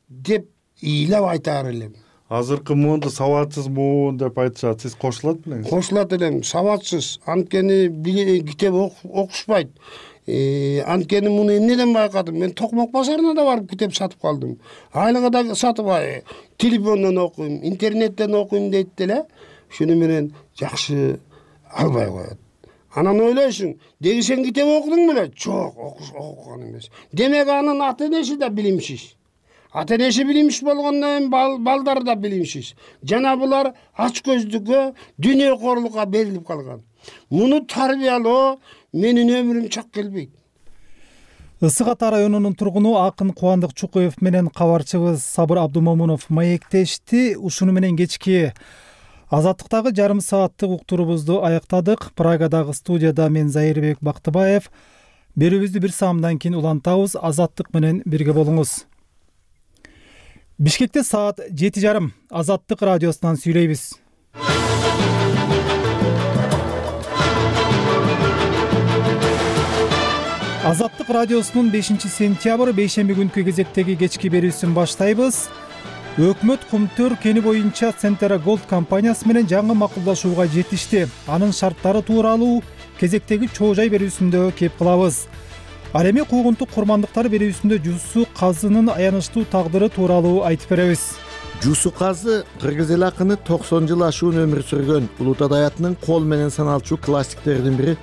[SPEAKER 2] деп ыйлап айтар элем.
[SPEAKER 21] Азыркы муунду сабатсыз муун деп айтышат. Сиз кошулат белеңиз?
[SPEAKER 2] Кошулат элем, сабатсыз. Анткени китеп окушпайт. Анткени муну эмнеден байкадым? Мен Токмок базарына да барып китеп сатып калдым. Айлыгы да сатып, телефондон окуйм, интернеттен окуйм дейт деле. Шуну менен жакшы албай коет. Анан ойлойсуң, деги сен китеп окудуң беле? Жок, окуган эмес. Демек анын ата энеси да билимсиз. Ата энеси билимсиз болгондон кийин балдары да билимсиз. Жана булар ач көздүккө, дүйнөкорлукка берилип калган. Муну тарбиялоо менин өмүрүм чак келбейт.
[SPEAKER 1] Ысык Ата районунун тургуну Акын Кубандык Чукуев менен кабарчыбыз Сабыр Абдумомунов маектешти. Ушуну менен кечки Азаттыктагы жарым сааттык уктурубузду аяктадык. Прагадагы студияда мен Зайырбек Бактыбаев. Берүүбүздү бир саамдан кийин улантабыз. Азаттык менен бирге болуңуз. Бишкекте саат жети жарым. Азаттык радиосунан сүйлөйбүз. Азаттык радиосунун бешинчи сентябрь бейшемби күнкү кезектеги кечки берүүсүн баштайбыз. Өкмөт Кумтөр кени боюнча Центра Голд компаниясы менен жаңы макулдашууга жетишти. Анын шарттары тууралуу кезектеги чоо жай берүүсүндө кеп кылабыз. Ал эми куугунтук курмандыктар берүүсүндө Жусу Казынын аянычтуу тагдыры тууралуу айтып беребиз.
[SPEAKER 5] Жусу Казы кыргыз эл акыны токсон жыл ашуун өмүр сүргөн Улут Адаятынын кол менен саналчу классиктердин бири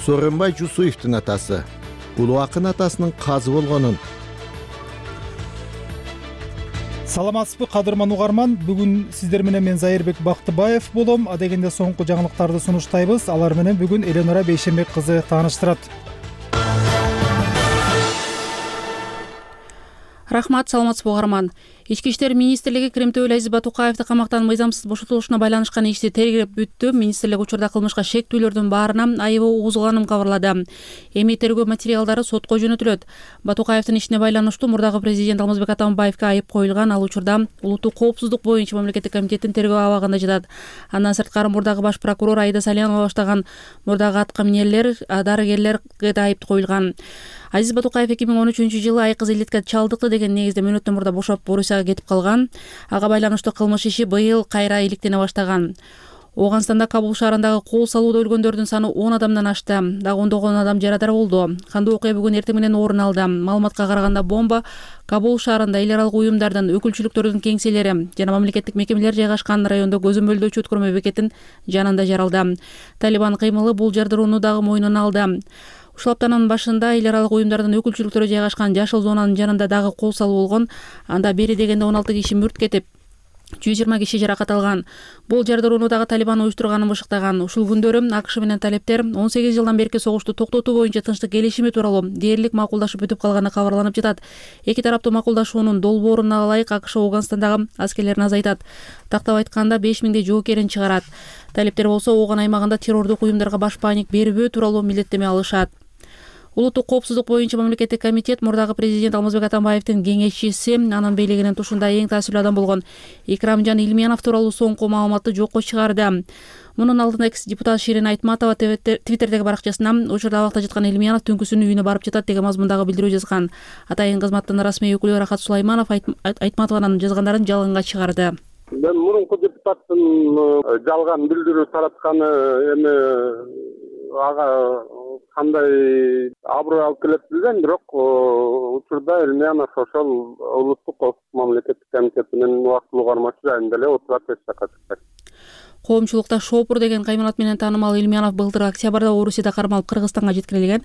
[SPEAKER 5] Сооронбай Жусуевдин атасы. Улуу акын атасынын казы болгонун.
[SPEAKER 1] Саламатсызбы кадырман угарман, бүгүн сиздер менен мен Зайырбек Бактыбаев болом. Адегенде соңку жаңылыктарды сунуштайбыз. Алар менен бүгүн Эленора Бейшембек кызы тааныштырат.
[SPEAKER 4] Рахмат, саламатсызбы угарман. Ички иштер министрлиги Кремтөбөл Азиз Батукаевди камактан мыйзамсыз бошотулушуна байланышкан ишти тергеп бүттү. Министрлик учурда кылмышка шектүүлөрдүн баарына айыбы угузулганын кабарлады. Эми тергөө материалдары сотко жөнөтүлөт. Батукаевдин ишине байланыштуу мурдагы президент Алмазбек Атамбаевге айып коюлган. Ал учурда улуттук коопсуздук боюнча мамлекеттик комитеттин тергөө абагында жатат. Андан сырткары мурдагы баш прокурор Айда Салянова баштаган мурдагы атка минерлер, дарыгерлерге да айып коюлган. Азиз Батукаев эки миң он үчүнчү жылы айкыз илдетке чалдыкты деген негизде мөөнөттөн мурда бошоп Орусияга кетип калган. Ага байланыштуу кылмыш иши быйыл кайра иликтене баштаган. Оганстанда Кабул шаарындагы кол салууда өлгөндөрдүн саны он адамдан ашты. Дагы ондогон адам жарадар болду. Кандуу окуя бүгүн эртең менен орун алды. Маалыматка караганда бомба Кабул шаарында эл аралык уюмдардын, өкүлчүлүктөрдүн кеңселери жана мамлекеттик мекемелер жайгашкан райондо көзөмөлдөөчү өткөрмө бекетин жанында жаралды. Талибан кыймылы бул жардырууну дагы мойнуна алды. Ушул аптанын башында эл аралык уюмдардын өкүлчүлүктөрү жайгашкан жашыл зонанын жанында дагы кол салуу болгон. Анда бери дегенде он алты киши мүрт кетип, жүз жыйырма киши жаракат алган. Бул жардырууну дагы Талибан уюштурганын бышыктаган. Ушул күндөрү АКШ менен талептер он сегиз жылдан берки согушту токтотуу боюнча тынчтык келишими тууралуу дээрлик макулдашып бүтүп калганы кабарланып жатат. Эки тараптуу макулдашуунун долбооруна ылайык АКШ Оганстандагы аскерлерин азайтат. Тактап айтканда беш миңдей жоокерин чыгарат. Талептер болсо Ооган аймагында террордук уюмдарга баш паник бербөө тууралуу милдеттеме алышат. Улуттук коопсуздук боюнча мамлекеттик комитет мурдагы президент Алмазбек Атамбаевдин кеңешчиси, анын бийлигинин тушунда эң таасирлүү адам болгон Икрамжан Илмиянов тууралуу соңку маалыматты жокко чыгарды. Мунун алдында экс-депутат Ширин Айтматова Твиттердеги баракчасына учурда абакта жаткан Илмиянов түнкүсүн үйүнө барып жатат деген мазмундагы билдирүү жазган. Атайын кызматтын расмий өкүлү Рахат Сулайманов Айтматованын жазгандарын жалганга чыгарды.
[SPEAKER 15] Мен мурунку депутаттын жалган билдирүү таратканы эми ага кандай аброй алып келет билбейм, бирок учурда Илмиянов ошол улуттук коопсуздук мамлекеттик комитетинин убактылуу кармашы жайында эле отурат эч жакка чыкпайт.
[SPEAKER 4] Коомчулукта Шопур деген кайманат менен таанымал Илмиянов былтыр октябрда Орусияда кармалып Кыргызстанга жеткирилген.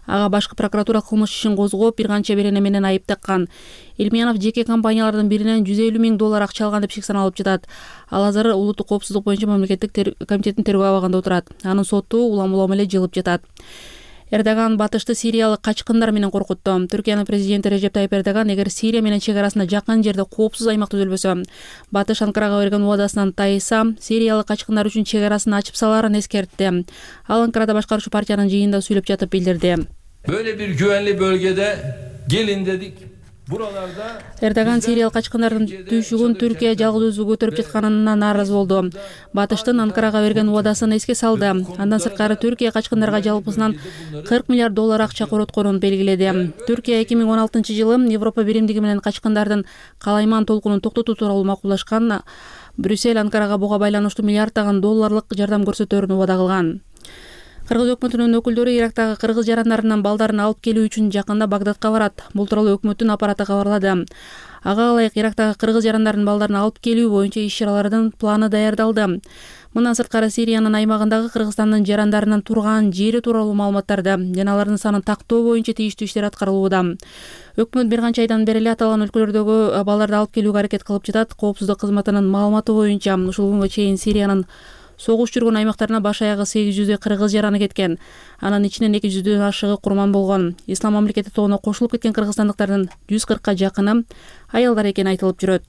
[SPEAKER 4] Ага башкы прокуратура кылмыш ишин козгоп, бир канча берене менен айып таккан. Илмиянов жеке компаниялардын биринен жүз элүү миң доллар акча алган деп шик саналып жатат. Ал азыр улуттук коопсуздук боюнча мамлекеттик комитеттин тергөө абагында отурат. Анын соту улам-улам эле жылып жатат. Эрдоган Батышты сириялык качкындар менен коркутту. Түркиянын президенти Режеп Тайып Эрдоган эгер Сирия менен чек-арасына жакын жерде коопсуз аймак түзүлбөсө, Батыш Анкарага берген убадасынан тайса, сириялык качкындар үчүн чек-арасын ачып саларын эскертти. Ал Анкарада башкаруучу партиянын жыйынында сүйлөп жатып билдирди.
[SPEAKER 7] Böyle bir güvenli bölgede gelin dedik. Buralarda
[SPEAKER 4] Эрдоган сириялык качкындардын түйшүгүн Түркия жалгыз өзү көтөрүп жатканына нааразы болду. Батыштын Анкарага берген убадасын эске салды. Андан сырткары Түркия качкындарга жалпысынан кырк миллиард доллар акча коротконун белгиледи. Түркия эки миң он алтынчы жылы Европа биримдиги менен качкындардын калайман толкунун токтотуу тууралуу макулдашкан. Брюссель Анкарага буга байланыштуу миллиарддаган долларлык жардам көрсөтөрүн убада кылган. Кыргыз өкмөтүнүн өкүлдөрү Ирактагы кыргыз жарандарынан балдарын алып келүү үчүн жакында Багдадка барат. Бул тууралуу өкмөттүн аппараты кабарлады. Ага ылайык Ирактагы кыргыз жарандардын балдарын алып келүү боюнча иш-чаралардын планы даярдалды. Мындан сырткары Сириянын аймагындагы Кыргызстандын жарандарынын турган жери тууралуу маалыматтарды жана алардын санын тактоо боюнча тийиштүү иштер аткарылууда. Өкмөт бир канча айдан бери эле аталган өлкөлөрдөгү балдарды алып келүүгө аракет кылып жатат. Коопсуздук кызматынын маалыматы боюнча ушул күнгө чейин Сириянын согуш жүргөн аймактарына баш аягы сегиз жүздөй кыргыз жараны кеткен. Анын ичинен эки жүздөн ашыгы курман болгон. Ислам мамлекети тобуна кошулуп кеткен кыргызстандыктардын жүз кыркка жакыны аялдар экени айтылып жүрөт.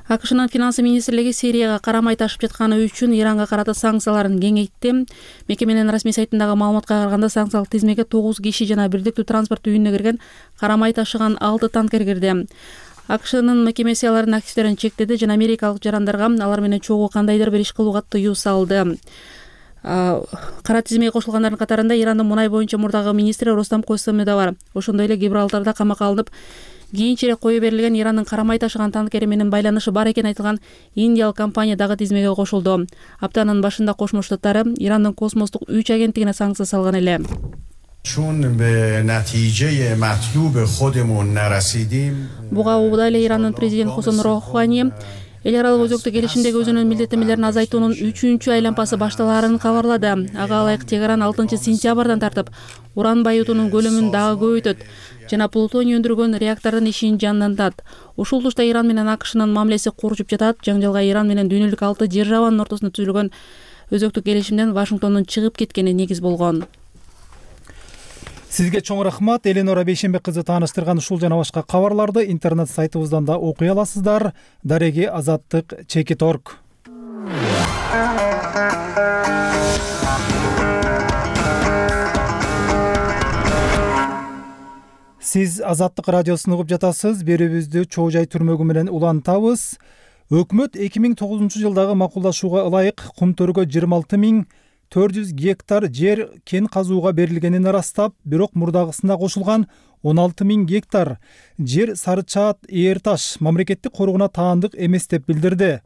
[SPEAKER 4] АКШнын финансы министрлиги Сирияга карамай ташып жатканы үчүн Иранга карата санкцияларын кеңейтти. Мекеменин расмий сайтындагы маалыматка караганда санкциялык тизмеге тогуз киши жана бирдиктүү транспорт үйүнүнө кирген карамай ташыган алты танкер кирди. АКШнын мекемеси алардын активдерин чектеди жана америкалык жарандарга алар менен чогуу кандайдыр бир иш кылууга тыюу салды. Кара тизмеге кошулгандардын катарында Ирандын мунай боюнча мурдагы министри Рустам Койсоми да бар. Ошондой эле Гибралтарда камакка алынып, кийинчерээк кое берилген Ирандын карамай ташыган танкери менен байланышы бар экени айтылган индиялык компания дагы тизмеге кошулду. Аптанын башында Кошмо Штаттары Ирандын космостук үч агенттигине санкция салган эле. Буга убада эле Ирандын президенти Хасан Рохани эл аралык өзөктүк келишимдеги өзүнүн милдеттенмелерин азайтуунун үчүнчү айланпасы башталаарын кабарлады. Ага ылайык Тегеран алтынчы сентябрдан тартып уран байытуунун көлөмүн дагы көбөйтөт жана плутоний өндүргөн реактордун ишин жандантат. Ушул тушта Иран менен АКШнын мамилеси курчуп жатат. Жаңжалга Иран менен дүйнөлүк алты державанын ортосунда түзүлгөн өзөктүк келишимден Вашингтондун чыгып кеткени негиз болгон.
[SPEAKER 1] Сизге чоң рахмат. Эленора Бейшенбек кызы тааныштырган ушул жана башка кабарларды интернет сайтыбыздан да окуй аласыздар. Дареги азаттык чекит орг. Сиз Азаттык радиосун угуп жатасыз. Берүүбүздү чоо жай түрмөгү менен улантабыз. Өкмөт эки миң тогузунчу жылдагы макулдашууга ылайык кум төргө жыйырма алты миң төрт жүз гектар жер кен казууга берилгенин ырастап, бирок мурдагысына кошулган он алты миң гектар жер Сарычаат Ээр Таш мамлекеттик коргууна таандык эмес деп билдирди.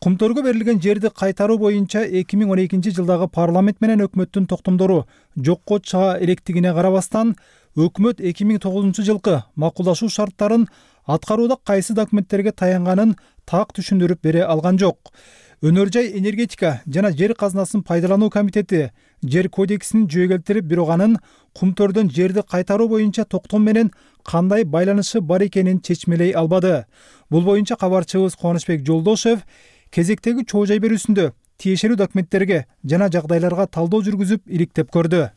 [SPEAKER 1] Кумтөргө берилген жерди кайтаруу боюнча эки миң он экинчи жылдагы парламент менен өкмөттүн токтомдору жокко чыга электигине карабастан, өкмөт эки миң тогузунчу жылкы макулдашуу шарттарын аткарууда кайсы документтерге таянганын так түшүндүрүп бере алган жок. Өнөр жай энергетика жана жер казынасын пайдалануу комитети жер кодексин жүйө келтирип, бирок анын кумтөрдөн жерди кайтаруу боюнча токтом менен кандай байланышы бар экенин чечмелей албады. Бул боюнча кабарчыбыз Кубанычбек Жолдошев кезектеги чоо жай берүүсүндө тиешелүү документтерге жана жагдайларга талдоо жүргүзүп иликтеп көрдү.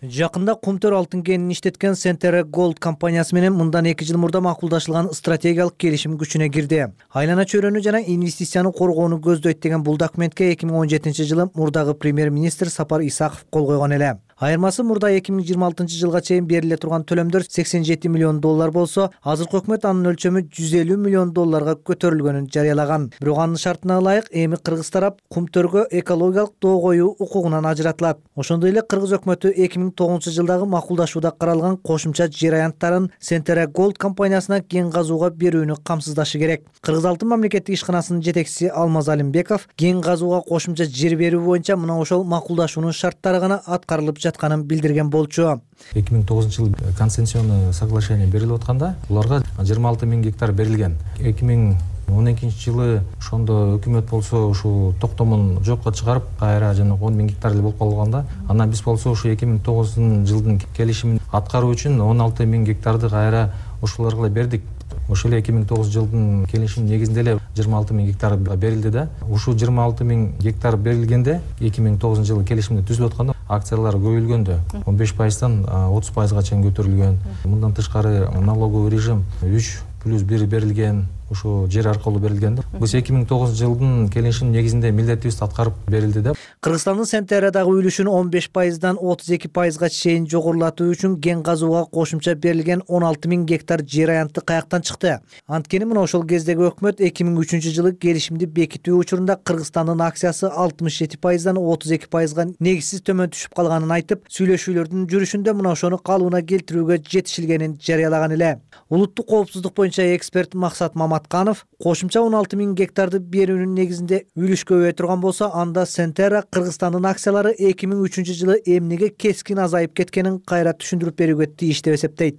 [SPEAKER 6] Жакында Кумтөр алтын кенин иштеткен Centera Gold компаниясы менен мындан эки жыл мурда макулдашылган стратегиялык келишим күчүнө кирди. Айлана чөйрөнү жана инвестицияны коргоону көздөйт деген бул документке эки миң он жетинчи жылы мурдагы премьер-министр Сапар Исаков кол койгон эле. Айырмасы мурда эки миң жыйырма алтынчы жылга чейин бериле турган төлөмдөр сексен жети миллион доллар болсо, азыркы өкмөт анын өлчөмү жүз элүү миллион долларга көтөрүлгөнүн жарыялаган. Бирок анын шартына ылайык эми кыргыз тарап Кумтөргө экологиялык доо коюу укугунан ажыратылат. Ошондой эле кыргыз өкмөтү эки миң тогузунчу жылдагы макулдашууда каралган кошумча жер аянттарын Centera Gold компаниясына кен казууга берүүнү камсыздашы керек. Кыргыз алтын мамлекеттик ишканасынын жетекчиси Алмаз Алимбеков кен казууга кошумча жер берүү боюнча мына ошол макулдашуунун шарттары гана аткарылып жатканын билдирген болчу.
[SPEAKER 22] эки миң тогузунчу жылы концессионный соглашение берилип атканда буларга жыйырма алты миң гектар берилген. эки миң он экинчи жылы ошондо өкмөт болсо ушул токтомун жокко чыгарып, кайра жана он миң гектар эле болуп калганда, анан биз болсо ушу эки миң тогузунчу жылдын келишимин аткаруу үчүн он алты миң гектарды кайра ушуларга бердик. Ошол эле эки миң тогузунчу жылдын келишимин негизинде эле жыйырма алты миң гектар берилди да. Ушул жыйырма алты миң гектар берилгенде эки миң тогузунчу жылы келишимде түзүлүп атканда акциялар көбөйүлгөндө он беш пайыздан отуз пайызга чейин көтөрүлгөн. Мындан тышкары налоговый режим үч плюс бир берилген, ушул жер аркылуу берилген. Биз эки миң тогузунчу жылдын келишимин негизинде милдетибизди аткарып берилди да.
[SPEAKER 6] Кыргызстандын Сентерадагы үлүшүн он беш пайыздан отуз эки пайызга чейин жогорулатуу үчүн кен казууга кошумча берилген он алты миң гектар жер аянты каяктан чыкты? Анткени мына ошол кездеги өкмөт эки миң үчүнчү жылы келишимди бекитүү учурунда Кыргызстандын акциясы алтымыш жети пайыздан отуз эки пайызга негизсиз төмөн түшүп калганын айтып, сүйлөшүүлөрдүн жүрүшүндө мына ошону калыбына келтирүүгө жетишилгенин жарыялаган эле. Улуттук коопсуздук боюнча эксперт Максат Маматканов кошумча он алты миң гектарды берүүнүн негизинде үлүш көбөйө турган болсо, анда Centera Кыргызстандын акциялары эки миң үчүнчү жылы эмнеге кескин азайып кеткенин кайра түшүндүрүп берүүгө тийиш деп эсептейт.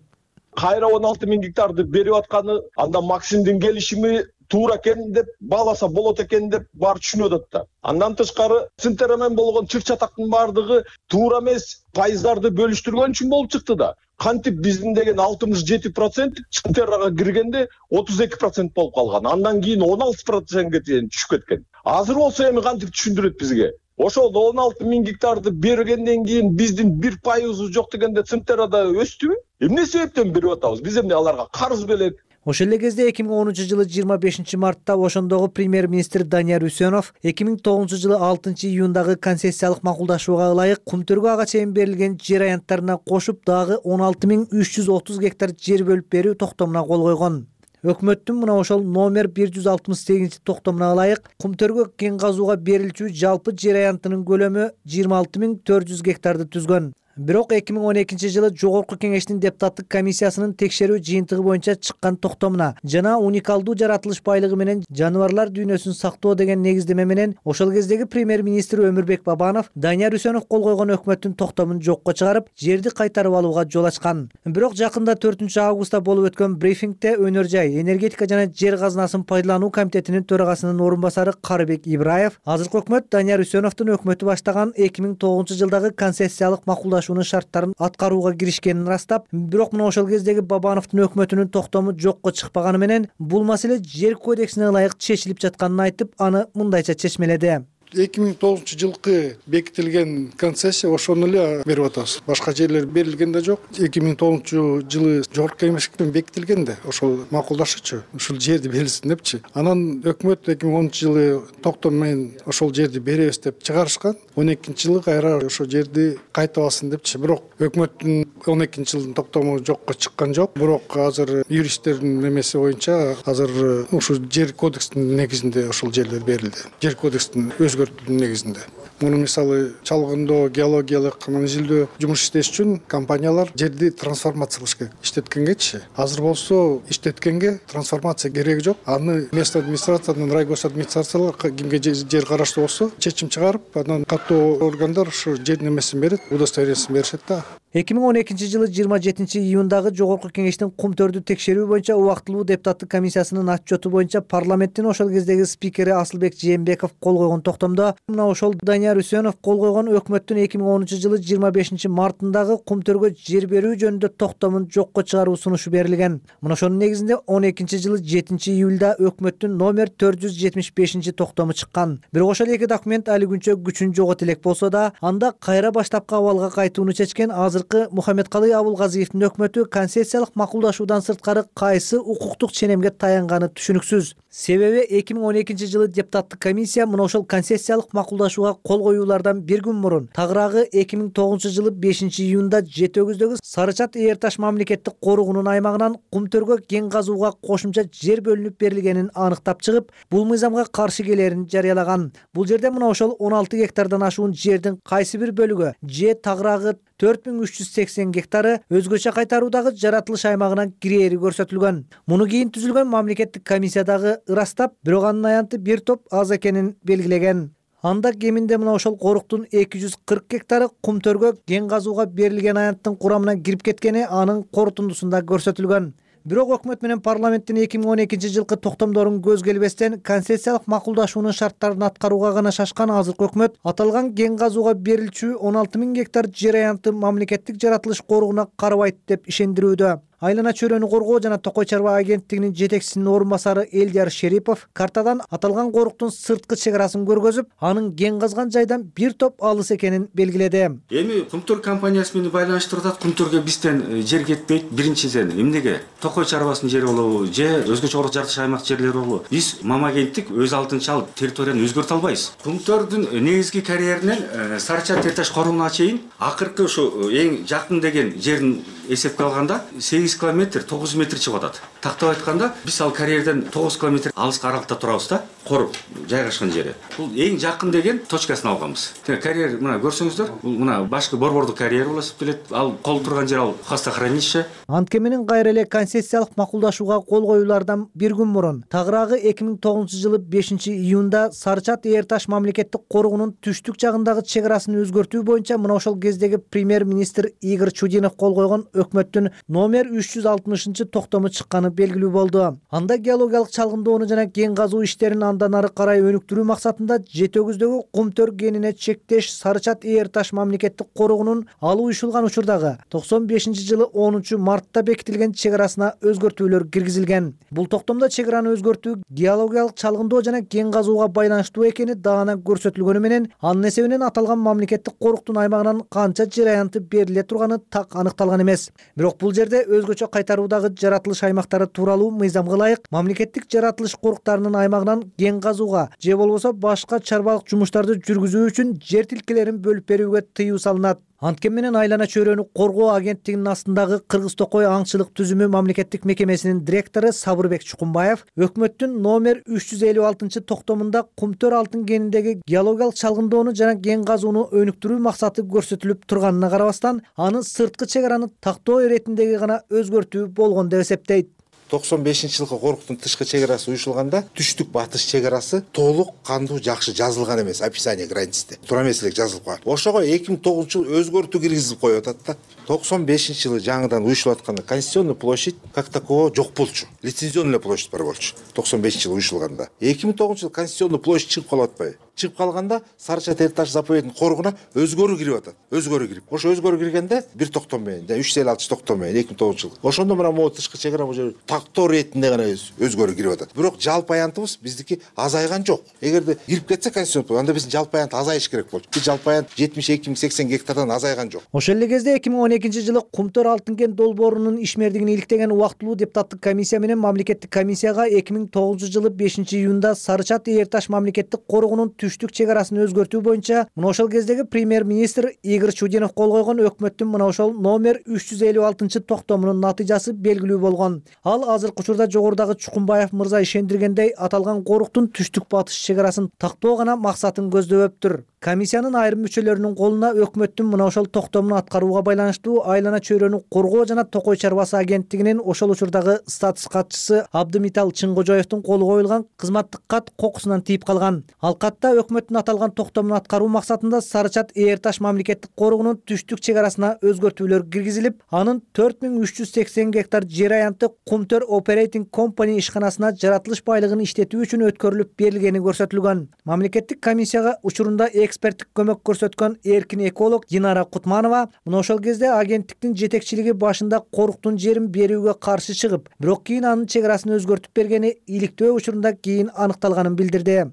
[SPEAKER 8] кайра он алты миң гектарды берип атканы, анда Максимдин келишими туура экен деп бааласа болот экен деп баары түшүнүп атат да. Андан тышкары Центерра менен болгон чыр чатактын баардыгы туура эмес пайыздарды бөлүштүргөн үчүн болуп чыкты да. Кантип биздин деген алтымыш жети процент Центеррага киргенде отуз эки процент болуп калган. Андан кийин он алты процентке чейин түшүп кеткен. Азыр болсо эми кантип түшүндүрөт бизге? Ошол он алты миң гектарды бергенден кийин биздин бир пайызыбыз жок дегенде Центеррада өстүбү? Эмне себептен берип атабыз? Биз эмне аларга карыз белек?
[SPEAKER 6] Ошол эле кезде эки миң онунчу жылы жыйырма бешинчи мартта ошондогу премьер-министр Данияр Үсөнов эки миң тогузунчу жылы алтынчы июндагы концессиялык макулдашууга ылайык Кумтөргө ага чейин берилген жер аянттарына кошуп дагы он алты миң үч жүз отуз гектар жер бөлүп берүү токтомуна кол койгон. Өкмөттүн мына ошол номер бир жүз алтымыш сегизинчи токтомуна ылайык Кумтөргө кен казууга берилчү жалпы жер аянтынын көлөмү жыйырма алты миң төрт жүз гектарды түзгөн. Бирок эки миң он экинчи жылы Жогорку Кеңештин депутаттык комиссиясынын текшерүү жыйынтыгы боюнча чыккан токтомуна жана уникалдуу жаратылыш байлыгы менен жаныбарлар дүйнөсүн сактоо деген негиздеме менен ошол кездеги премьер-министр Өмүрбек Бабанов Данияр Үсөнов кол койгон өкмөттүн токтомун жокко чыгарып, жерди кайтарып алууга жол ачкан. Бирок жакында төртүнчү августта болуп өткөн брифингде Өнөр жай, энергетика жана жер казынасын пайдалануу комитетинин төрагасынын орун басары Карыбек Ибраев азыркы өкмөт Данияр Үсөновдун өкмөтү баштаган эки миң тогузунчу жылдагы концессиялык макулдашуу шарттарын аткарууга киришкенин ырастап, бирок мына ошол кездеги Бабановдун өкмөтүнүн токтому жокко чыкпаганы менен бул маселе жер кодексине ылайык чечилип жатканын айтып, аны мындайча чечмеледи.
[SPEAKER 9] эки миң тогузунчу жылкы бекитилген концессия ошону эле берип атабыз. Башка жерлер берилген да жок. эки миң тогузунчу жылы Жогорку Кеңеште бекитилген да, ошол макулдашычу, ушул жерди берилсин депчи. Анан өкмөт эки миң онунчу жылы токтом менен ошол жерди беребиз деп чыгарышкан. он экинчи жылы кайра ошол жерди кайтып алсын депчи. Бирок өкмөттүн он экинчи жылдын токтому жокко чыккан жок. Бирок азыр юристтердин немеси боюнча азыр ушул жер кодексинин негизинде ошол жерлер берилди. Жер кодекстин өзгөртүүнүн негизинде. Муну мисалы чалгындоо, геологиялык изилдөө жумуш иштеш үчүн компаниялар жерди трансформация кылыш керек. Иштеткенгечи. Азыр болсо иштеткенге трансформация кереги жок. Аны местный администрациядан райгос администрациялар кимге жер караштуу болсо чечим чыгарып, анан каттуу органдар ушу жер немесин берет, удостоверениесин беришет да.
[SPEAKER 6] эки миң он экинчи жылы жыйырма жетинчи июндагы Жогорку Кеңештин Кумтөрдү текшерүү боюнча убактылуу депутаттык комиссиясынын отчету боюнча парламенттин ошол кездеги спикери Асылбек Жээнбеков кол койгон токтомдо мына ошол Данияр Үсөнов кол койгон өкмөттүн эки миң онунчу жылы жыйырма бешинчи мартындагы Кумтөргө жер берүү жөнүндө токтомун жокко чыгаруу сунушу берилген. Мына ошонун негизинде он экинчи жылы жетинчи июлда өкмөттүн номер төрт жүз жетимиш бешинчи токтому чыккан. Бирок ошол эки документ али күнчө күчүн жогот элек болсо да, анда кайра баштапкы абалга кайтууну чечкен азыр Мухаммедкалый Абулгазиевдин өкмөтү концессиялык макулдашуудан сырткары кайсы укуктук ченемге таянганы түшүнүксүз. Себеби эки миң он экинчи жылы депутаттык комиссия мына ошол концессиялык макулдашууга кол коюулардан бир күн мурун тагыраагы эки миң тогузунчу жылы бешинчи июнда Жети өгүздөгү Сарычат Ээр таш мамлекеттик коруугунун аймагынан Кумтөргө кен казууга кошумча жер бөлүнүп берилгенин аныктап чыгып, бул мыйзамга каршы келерин жарыялаган. Бул жерде мына ошол он алты гектардан ашуун жердин кайсы бир бөлүгү же тагыраагы төрт миң үч жүз сексен гектары өзгөчө кайтаруудагы жаратылыш аймагына кирээри көрсөтүлгөн. Муну кийин түзүлгөн мамлекеттик комиссиядагы ырастап, бирок анын аянты бир топ аз экенин белгилеген. Анда кеминде мына ошол коруктун эки жүз кырк гектары Кумтөргө кен казууга берилген аянттын курамына кирип кеткени анын корутундусунда көрсөтүлгөн. Бирок өкмөт менен парламенттин эки миң он экинчи жылкы токтомдорун көз келбестен концессиялык макулдашуунун шарттарын аткарууга гана шашкан азыркы өкмөт аталган кен казууга берилчү он алты миң гектар жер аянты мамлекеттик жаратылыш коруугуна карабайт деп ишендирүүдө. Айлана чөйрөнү коргоо жана Токой чарба агенттигинин жетекчисинин орун басары Элдияр Шерипов картадан аталган коруктун сырткы чек арасын көргөзүп, анын кен казган жайдан бир топ алыс экенин белгиледи.
[SPEAKER 23] Эми Кумтөр компаниясы менен байланыштырып атат. Кумтөргө бизден жер кетпейт. Биринчиден эмнеге? Токой чарбасынын жери болобу же өзгөчө жаратылыш аймак жерлери болобу? Биз мамагенттик өз алдынча алып территорияны өзгөртө албайбыз. Кумтөрдүн негизги карьеринен Сарычат Ээр таш корууна чейин акыркы ушу эң жакын деген жерин эсепке алганда сегиз километр тогуз метр чыгып атат. тактап айтканда биз ал карьерден тогуз километр алыска аралыкта турабыз да, кор жайгашкан жери. Бул эң жакын деген точкасын алганбыз. Карьер мына көрсөңүздөр, бул мына башкы борбордук карьер болуп эсептелет. Ал кол турган жер ал хостохранилище.
[SPEAKER 6] Антке менен кайра эле концессиялык макулдашууга кол коюлардан бир күн мурун тагыраагы эки миң тогузунчу жылы бешинчи июнда Сарычат Ээр Таш мамлекеттик коргоонун түштүк жагындагы чек арасын өзгөртүү боюнча мына ошол кездеги премьер-министр Игорь Чудинов кол койгон өкмөттүн номер үч жүз алтымышынчы токтому чыкканы белгилүү болду. Анда геологиялык чалгындоону жана кен казуу иштерин андан ары карай өнүктүрүү максатында Жети өгүздөгү кумтөр кенине чектеш Сарычат Ээр Таш мамлекеттик коргоонун алуу уюшулган учурдагы токсон бешинчи жылы онунчу мартта бекитилген чек арасына өзгөртүүлөр киргизилген. Бул токтомдо чек араны өзгөртүү геологиялык чалгындоо жана кен казууга байланыштуу экени даана көрсөтүлгөнү менен анын эсебинен аталган мамлекеттик коруктун аймагынан канча жер аянты бериле турганы так аныкталган эмес. Бирок бул жерде өзгөчө кайтаруудагы жаратылыш аймактары тууралуу мыйзамга ылайык мамлекеттик жаратылыш коруктарынын аймагынан кен казууга же болбосо башка чарбалык жумуштарды жүргүзүү үчүн жер тилкелерин бөлүп берүүгө тыюу салынат. Анткен менен айлана чөйрөнү коргоо агенттигинин астындагы Кыргыз Токой аңчылык түзүмү мамлекеттик мекемесинин директору Сабырбек Чукумбаев өкмөттүн номер үч жүз элүү алтынчы токтомунда кумтөр алтын кениндеги геологиялык чалгындоону жана кен казууну өнүктүрүү максаты көрсөтүлүп турганына карабастан аны сырткы чек араны тактоо иретиндеги гана өзгөртүү болгон деп эсептейт.
[SPEAKER 11] токсон бешинчи жылкы коруктун тышкы чек арасы уюшулганда түштүк батыш чек арасы толук кандуу жакшы жазылган эмес, описание границте туура эмес эле жазылып калган. Ошого эки миң тогузунчу жылы өзгөртүү киргизип коюп атат да. токсон бешинчи жылы жаңыдан уюшулуп атканда конституционный площадь как такового жок болчу. Лицензионный площадь бар болчу. токсон бешинчи жылы уюшулганда. эки миң тогузунчу жылы конституционный площадь чыгып калып атпайбы? Чыгып калганда Сарычат Ээр Таш заповедтин коргуна өзгөрүү кирип атат. Өзгөрүү кирип. Ошо өзгөрүү киргенде бир токтом менен, үч жүз элүү алтынчы токтом менен эки миң тогузунчу жылы. Ошондо мына могу тышкы чек ара бул жер тактоо иретинде гана өзгөрүү кирип атат. Бирок жалпы аянтыбыз биздики азайган жок. Эгерде кирип кетсе конституцион, анда биздин жалпы аянт азайыш керек болчу. Бул жалпы аянт жетимиш эки миң сексен гектардан азайган жок.
[SPEAKER 6] Ошол эле кезде эки миң он экинчи жылы кумтөр алтын кен долбоорунун ишмердигин иликтеген убактылуу депутаттык комиссия менен мамлекеттик комиссияга эки миң тогузунчу жылы бешинчи июнда Сарычат Ээр Таш мамлекеттик коргоонун түштүк чек арасын өзгөртүү боюнча мына ошол кездеги премьер-министр Игорь Чудинов кол койгон өкмөттүн мына ошол номер үч жүз элүү алтынчы токтомунун натыйжасы белгилүү болгон. Ал азыркы учурда жогорудагы Чукумбаев мырза ишендиргендей аталган коруктун түштүк батыш чек арасын тактоо гана максатын көздөбөптүр. Комиссиянын айрым мүчөлөрүнүн колуна өкмөттүн мына ошол токтомун аткарууга байланыштуу айлана чөйрөнү коргоо жана Токой чарбасы агенттигинин ошол учурдагы статус катчысы Абдымитал Чыңгожоевдун колу коюлган кызматтык кат кокусунан тийип калган. Ал катта өкмөттүн аталган токтомун аткаруу максатында Сарычат Ээр Таш мамлекеттик коргоонун түштүк чек арасына өзгөртүүлөр киргизилип, анын төрт миң үч жүз сексен гектар жер аянты Кумтөр Operating Company ишканасына жаратылыш байлыгын иштетүү үчүн өткөрүлүп берилгени көрсөтүлгөн. Мамлекеттик комиссияга учурунда эксперттик көмөк көрсөткөн эркин эколог Динара Кутманова мына ошол кезде агенттиктин жетекчилиги башында коруктун жерин берүүгө каршы чыгып, бирок кийин анын чек арасын өзгөртүп бергени иликтөө учурунда кийин аныкталганын билдирди.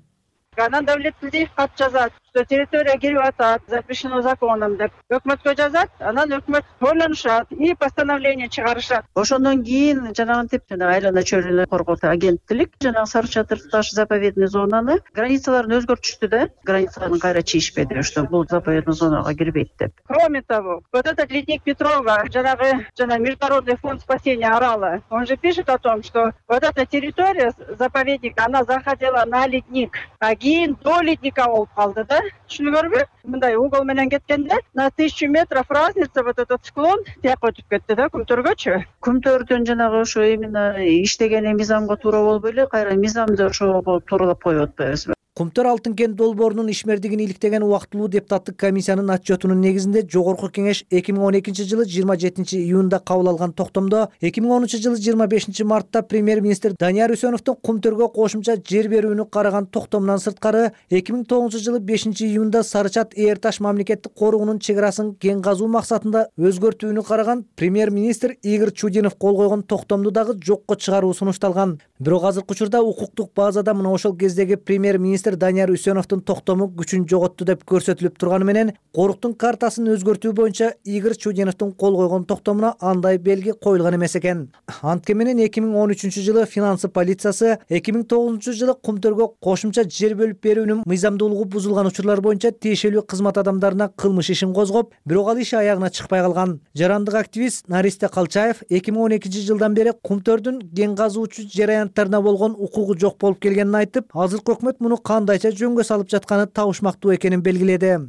[SPEAKER 12] Анан Давлет Тилдиев кат жазат, что территория кирип атат, запрещено законом деп өкмөткө жазат, анан өкмөт ойлонушат и постановление чыгарышат. Ошондон кийин жанагынтип жана айлана чөйрөнү коргоосу агенттик жанагы Сарычат Ээр Таш заповедный зонаны границаларын өзгөртүштү да, границаларын кайра чийишпеди, что бул заповедный зонага кирбейт деп. Кроме того, вот этот ледник Петрова, жанагы жана Международный фонд спасения Орала, он же пишет о том, что вот эта территория заповедника, она заходила на ледник, а кийин до ледника болуп калды да. Түшүнүңөрбү? Мындай угол менен кеткенде на тысячу метров разница вот этот склон тияк өтүп кетти да Кумтөргөчү. Кумтөрдүн жанагы ошо именно иштеген мыйзамга туура болбой эле кайра мыйзамды ошого тууралап коюп атпайбызбы?
[SPEAKER 6] Кумтөр алтын кен долбоорунун ишмердигин иликтеген убактылуу депутаттык комиссиянын отчетунун негизинде Жогорку Кеңеш эки миң он экинчи жылы жыйырма жетинчи июнда кабыл алган токтомдо эки миң онунчу жылы жыйырма бешинчи мартта премьер-министр Данияр Үсөновдун Кумтөргө кошумча жер берүүнү караган токтомунан сырткары эки миң тогузунчу жылы бешинчи июнда Сарычат Ээр Таш мамлекеттик коргоонун чек арасын кен казуу максатында өзгөртүүнү караган премьер-министр Игорь Чудинов кол койгон токтомду дагы жокко чыгаруу сунушталган. Бирок азыркы учурда укуктук базада мына ошол кездеги премьер-министр министр Данияр Үсеновдун токтому күчүн жоготту деп көрсөтүлүп турганы менен коруктун картасын өзгөртүү боюнча Игорь Чудиновдун кол койгон токтомуна андай белги коюлган эмес экен. Анткени менен эки миң он үчүнчү жылы финансы полициясы эки миң тогузунчу жылы Кумтөргө кошумча жер бөлүп берүүнүн мыйзамдуулугу бузулган учурлар боюнча тиешелүү кызмат адамдарына кылмыш ишин козгоп, бирок ал иш аягына чыкпай калган. Жарандык активист Наристе Калчаев эки миң он экинчи жылдан бери Кумтөрдүн кен казуучу жер аянттарына болгон укугу жок болуп келгенин айтып, азыркы өкмөт муну кандайча жөнгө салып жатканы табышмактуу экенин белгиледи.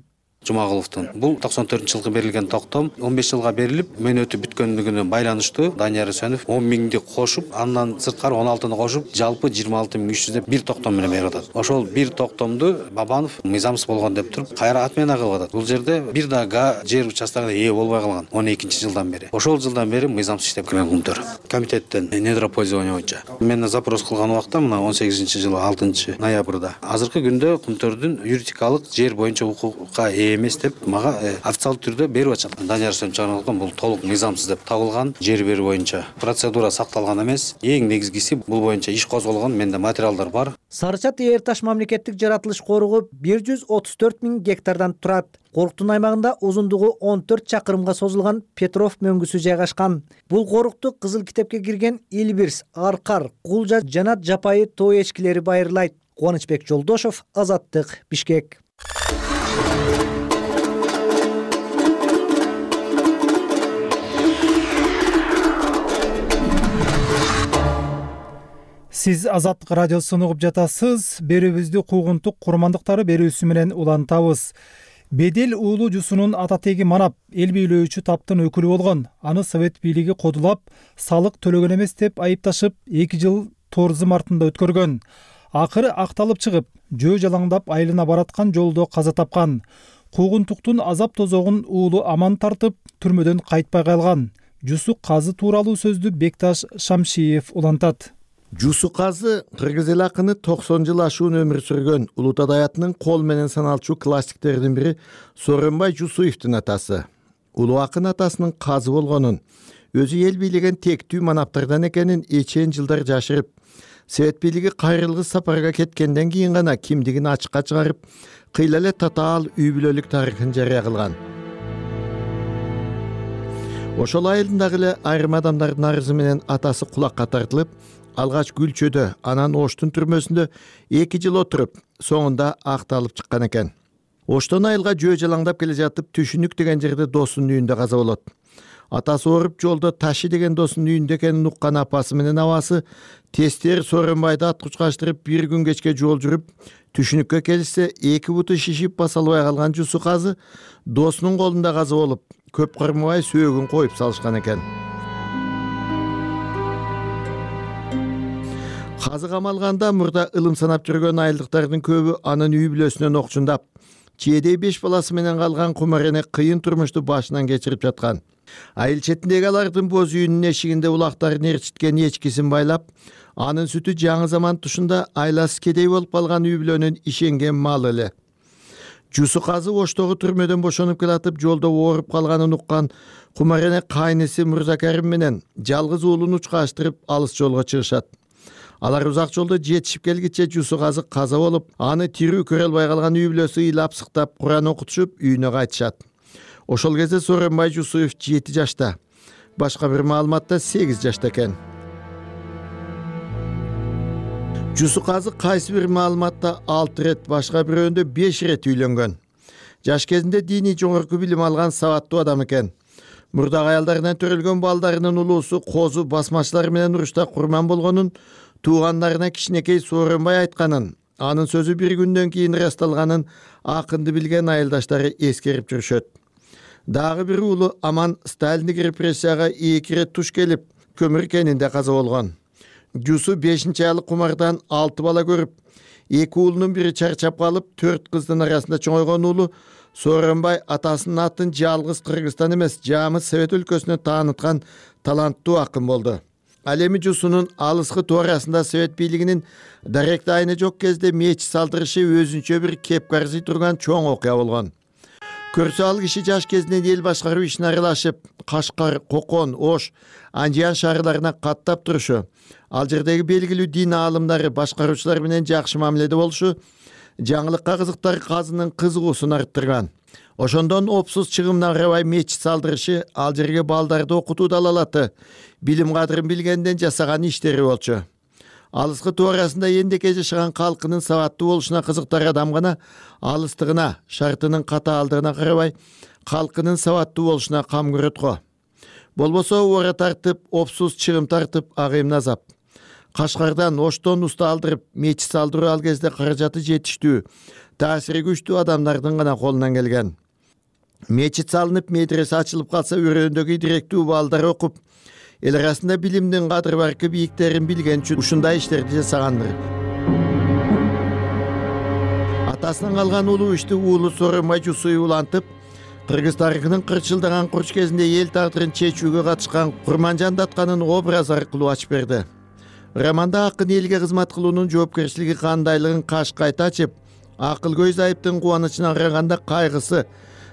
[SPEAKER 10] Жумагуловдун бул токсон төртүнчү жылкы берилген токтом он беш жылга берилип, мөөнөтү бүткөндүгүнө байланыштуу Данияр Үсенов он миңди кошуп, андан сырткары он алтыны кошуп, жалпы жыйырма алты миң үч жүз деп бир токтом менен берип атат. Ошол бир токтомду Бабанов мыйзамсыз болгон деп туруп, кайра отмена кылып атат. Бул жерде бир да га жер участогуна ээ болбой калган он экинчи жылдан бери. Ошол жылдан бери мыйзамсыз иштеп келген Кумтөр комитеттен недропользование боюнча. Мен запрос кылган убакта мына он сегизинчи жылы алтынчы ноябрда азыркы күндө Кумтөрдүн юридикалык жер боюнча укукка ээ эмес деп мага официалдуу түрдө берип атышат. Данияр Үсеновдон бул толук мыйзамсыз деп табылган, жер берүү боюнча процедура сакталган эмес. Эң негизгиси бул боюнча иш козголгон, менде материалдар бар.
[SPEAKER 6] Сарычат Эр Таш мамлекеттик жаратылыш коругу бир жүз отуз төрт миң гектардан турат. Коруктун аймагында узундугу он төрт чакырымга созулган Петров мөңгүсү жайгашкан. Бул корукту Кызыл китепке кирген Илбирс, Аркар, Кулжа жана жапайы тоо эчкилери байырлайт. Кубанычбек Жолдошов, Азаттык, Бишкек.
[SPEAKER 1] Сиз Азаттык радиосун угуп жатасыз. Берүүбүздү куугунтук курмандыктары берүүсү менен улантабыз. Бедел уулу Жусунун ата теги манап, эл бийлөөчү таптын өкүлү болгон. Аны Совет бийлиги кодулап, салык төлөгөн эмес деп айыпташып, эки жыл Торзым артында өткөргөн. Акыры акталып чыгып, жөө жалаңдап айылына бараткан жолдо каза тапкан. Куугунтуктун азап тозогун уулу аман тартып, түрмөдөн кайтпай калган. Жусу казы тууралуу сөздү Бекташ Шамшиев улантат.
[SPEAKER 5] Жусу казы кыргыз эл акыны токсон жыл ашуун өмүр сүргөн Улута Даятнын кол менен саналчу классиктердин бири Сооронбай Жусуевдин атасы. Улуу акын атасынын казы болгонун, өзү эл бийлеген тектүү манаптардан экенин эчен жылдар жашырып, Совет бийлиги кайрылгыс сапарга кеткенден кийин гана кимдигин ачыкка чыгарып, кыйла эле татаал үй бүлөлүк тарыхын жарыя кылган. Ошол айылдагы эле айрым адамдардын арызы менен атасы кулакка тартылып, алгач Күлчөдө, анан Оштун түрмөсүндө эки жыл отуруп, соңунда акталып чыккан экен. Оштон айылга жөө жалаңдап келе жатып, Түшүнүк деген жерде досунун үйүндө каза болот. Атасы ооруп жолдо Таши деген досунун үйүндө экенин уккан апасы менен абасы тестер Сооронбайды аткучкаштырып бир күн кечке жол жүрүп, Түшүнүккө келишсе эки буту шишип баса албай калган Жусу казы досунун колунда каза болуп, көп кырмабай сөөгүн коюп салышкан экен. Казы камалганда мурда ылым санап жүргөн айылдыктардын көбү анын үй бүлөсүнөн окчундап, чиедей беш баласы менен калган кумарене кыйын турмушту башынан кечирип жаткан. Айыл четиндеги алардын боз үйүнүн эшигинде улактарын ээрчиткен эчкисин байлап, анын сүтү жаңы заман тушунда айласы кедей болуп калган үй бүлөнүн ишенген малы эле. Жусу казы Оштогу түрмөдөн бошонуп келатып, жолдо ооруп калганын уккан кумарене кайнысы Мырзакарим менен жалгыз уулун учкаштырып алыс жолго чыгышат. Алар узак жолдо жетишип келгиче Жусу казы каза болуп, аны тирүү көрө албай калган үй бүлөсү ыйлап сыктап Куран окутушуп үйүнө кайтышат. Ошол кезде Сооронбай Жусуев жети жашта, башка бир маалыматта сегиз жашта экен. Жусу казы кайсы бир маалыматта алты рет, башка бирөөндө беш рет үйлөнгөн. Жаш кезинде диний жогорку билим алган сабаттуу адам экен. Мурдагы аялдарынан төрөлгөн балдарынын улуусу козу басмачылар менен урушта курман болгонун туугандарына кичинекей Сооронбай айтканын, анын сөзү бир күндөн кийин ырасталганын акынды билген айылдаштары эскерип жүрүшөт. Дагы бир уулу Аман Сталиндик репрессияга эки рет туш келип, көмүр кенинде каза болгон. Жусу бешинчи айлык кумардан алты бала көрүп, эки уулунун бири чарчап калып, төрт кыздын арасында чоңойгон уулу Сооронбай атасынын атын жалгыз Кыргызстан эмес, жамы Совет өлкөсүнө тааныткан таланттуу акын болду. Ал эми Жусунун алыскы туурасында Совет бийлигинин даректи айны жок кезде меч салдырышы өзүнчө бир кепкарзый турган чоң окуя болгон. Көрсө ал киши жаш кезинен эл башкаруу ишине аралашып, Кашкар, Кокон, Ош, Анжиян шаарларына каттап турушу, ал жердеги белгилүү дин аалымдары, башкаруучулар менен жакшы мамиледе болушу, жаңылыкка кызыктар казынын кызыгуусун арттырган. Ошондон опсуз чыгымына карабай мечит салдырышы ал жерге балдарды окутуу далалаты билим кадырын билгенден жасаган иштери болчу. Алыскы туурасында эндеке жашаган калкынын сабаттуу болушуна кызыктар адам гана алыстыгына, шартынын катаалдыгына карабай калкынын сабаттуу болушуна кам көрөт го. Болбосо ора тартып, опсуз чыгым тартып агайым азап. Кашкардан Оштон уста алдырып мечит салдыруу ал кезде каражаты жетиштүү, таасири күчтүү адамдардын гана колунан келген. Мечит салынып, медресе ачылып калса өрөөндөгү директүү балдар окуп, эл арасында билимдин кадыр баркы бийиктерин билген үчүн ушундай иштерди жасагандыр. Атасынан калган улуу ишти уулу Сооронбай Жусуев улантып, кыргыз тарыхынын кырк жылдаган курч кезинде эл тагдырын чечүүгө катышкан Курманжан Датканын образы аркылуу ачып берди. Романда акын элге кызмат кылуунун жоопкерчилиги кандайлыгын кашкайта ачып, акыл көз айыптын кубанычына караганда кайгысы,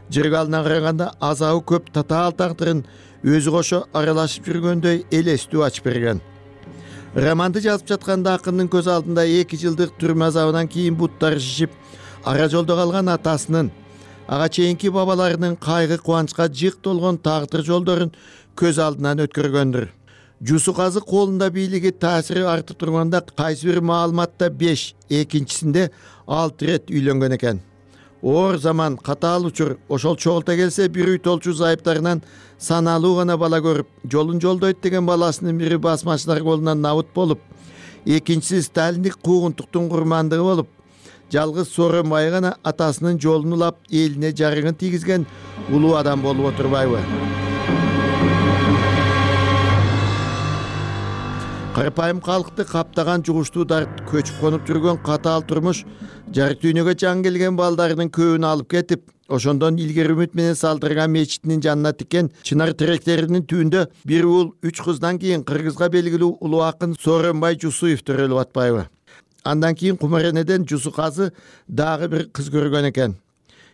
[SPEAKER 5] жыргалына караганда азабы көп татаал тагдырын өзү кошо аралашып жүргөндөй элестүү ачып берген. Романды жазып жатканда акындын көз алдында эки жылдык түрмө азабынан кийин буттары шишип, ара жолдо калган атасынын, ага чейинки бабаларынын кайгы кубанычка жык толгон тагдыр жолдорун көз алдынан өткөргөндүр. Жусу казы колунда бийлиги таасири артып турганда кайсы бир маалыматта беш, экинчисинде алты рет үйлөнгөн экен. Оор заман, катаал учур, ошол чогулта келсе бир үй толчу зайыптарынан саналуу гана бала көрүп, жолун жолдойт деген баласынын бири басмачылар колунан набыт болуп, экинчиси сталиндик куугунтуктун курмандыгы болуп, жалгыз Сооронбай гана атасынын жолун улап, элине жарыгын тийгизген улуу адам болуп отурбайбы? Карапайым калкты каптаган жугуштуу дарт, көчүп конуп жүргөн катаал турмуш, жарык дүйнөгө жан келген балдарынын көбүн алып кетип, ошондон илгери үмүт менен салдырган мечитинин жанына тиккен чынар тиректеринин түбүндө бир уул үч кыздан кийин кыргызга белгилүү улуу акын Сооронбай Жусуев төрөлүп атпайбы? Андан кийин Кумаренеден Жусу казы дагы бир кыз көргөн экен.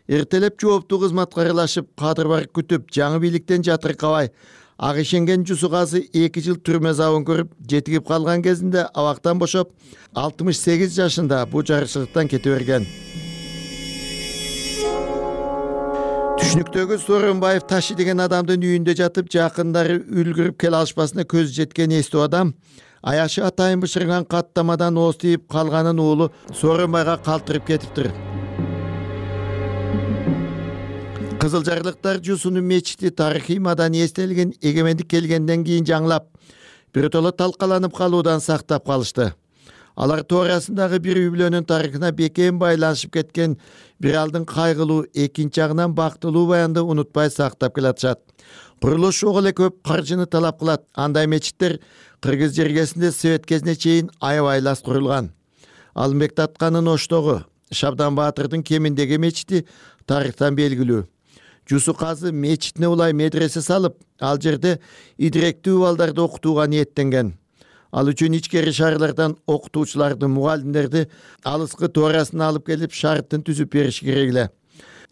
[SPEAKER 5] Эртелеп жооптуу кызматка аралашып, кадыр барып күтүп, жаңы бийликтен жатыркабай, ак ишенген Жусу казы эки жыл түрмө азабын көрүп, жетигип калган кезинде абактан бошоп, алтымыш сегиз жашында бул жарыкчылыктан кете берген. Түшүнүктөгү Сооронбаев Ташы деген адамдын үйүндө жатып, жакындары үлгүрүп келе алышпасына көзү жеткен эстүү адам, аяшы атайын бышырган каттамадан ооз тийип калганын уулу Сооронбайга калтырып кетиптир. Кызылжарлыктар Жусунун мечити тарыхый маданий эстелигин эгемендик келгенден кийин жаңылап, биротоло талкаланып калуудан сактап калышты. Алар туурасындагы бир үй бүлөнүн тарыхына бекем байланышып кеткен бир алдын кайгылуу, экинчи жагынан бактылуу баянды унутпай сактап келатышат. Курулуш ого эле көп каржыны талап кылат. Андай мечиттер кыргыз жергесинде совет кезине чейин аябай лас курулган. Алымбек Датканын Оштогу, Шабдан Баатырдын Кеминдеги мечити тарыхтан белгилүү. Жусу казы мечитине улай медресе салып, ал жерде идиректүү балдарды окутууга ниеттенген. Ал үчүн ичкери шаарлардан окутуучуларды, мугалимдерди алыскы туурасына алып келип шарттын түзүп бериш керек эле.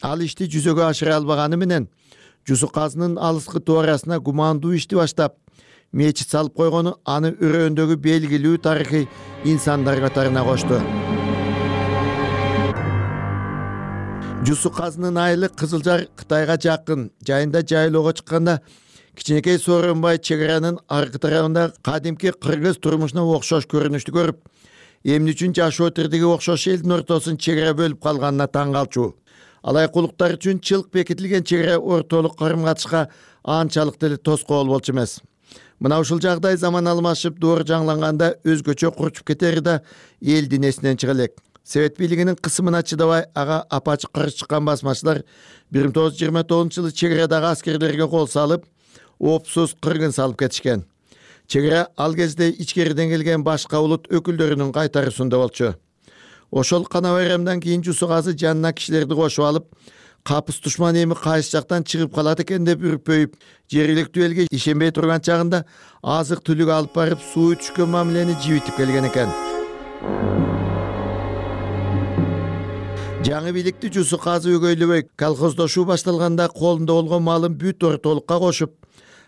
[SPEAKER 5] Ал ишти жүзөгө ашыра албаганы менен Жусу казынын алыскы туурасына гумандуу ишти баштап, мечит салып койгону аны өрөөндөгү белгилүү тарыхый инсандар катарына кошту. Жусу казынын айылы Кызылжар Кытайга жакын, жайында жайлоого чыкканда кичинекей Сооронбай чек аранын аркы тарабында кадимки кыргыз турмушуна окшош көрүнүштү көрүп, эмне үчүн жашоо тирдиги окшош элдин ортосун чек ара бөлүп калганына таң калчу. Алайкулуктар үчүн чылк бекитилген чек ара ортолук карым катышка анчалык деле тоскоол болчу эмес. Мына ушул жагдай заман алмашып, доор жаңланганда өзгөчө курчуп кетери да элдин эсинен чыга элек. Совет бийлигинин кысымына чыдабай, ага апачы каршы чыккан басмачылар бир миң тогуз жүз жыйырма тогузунчу жылы чек арадагы аскерлерге кол салып, опсуз кыргын салып кетишкен. Чек ара ал кезде ичкериден келген башка улут өкүлдөрүнүн кайтаруусунда болчу. Ошол кана байрамдан кийин Жусу казы жанына кишилерди кошуп алып, капыс душман эми кайсы жактан чыгып калат экен деп үрпөйүп, жергиликтүү элге ишенбей турган чагында азык түлүк алып барып, суу түшкөн мамилени жибитип келген экен. Жаңы бийликти Жусу казы өгөйлөбөй, колхоздошуу башталганда колунда болгон малын бүт ортолукка кошуп,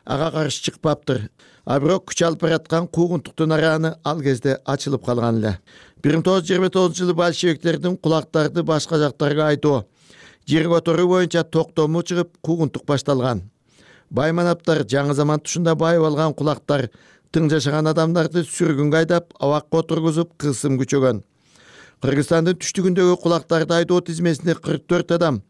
[SPEAKER 5] ага каршы чыкпаптыр. А бирок күч алып бараткан куугунтуктун араны ал кезде ачылып калган эле. бир миң тогуз жүз жыйырма тогузунчу жылы большевиктердин кулактарды башка жактарга айтуу, жер которуу боюнча токтому чыгып куугунтук башталган. Байманаптар жаңы заман тушунда байып алган кулактар тың жашаган адамдарды сүргүнгө айдап, абакка отургузуп кысым күчөгөн. Кыргызстандын түштүгүндөгү кулактарды айдоо тизмесинде кырк төрт адам,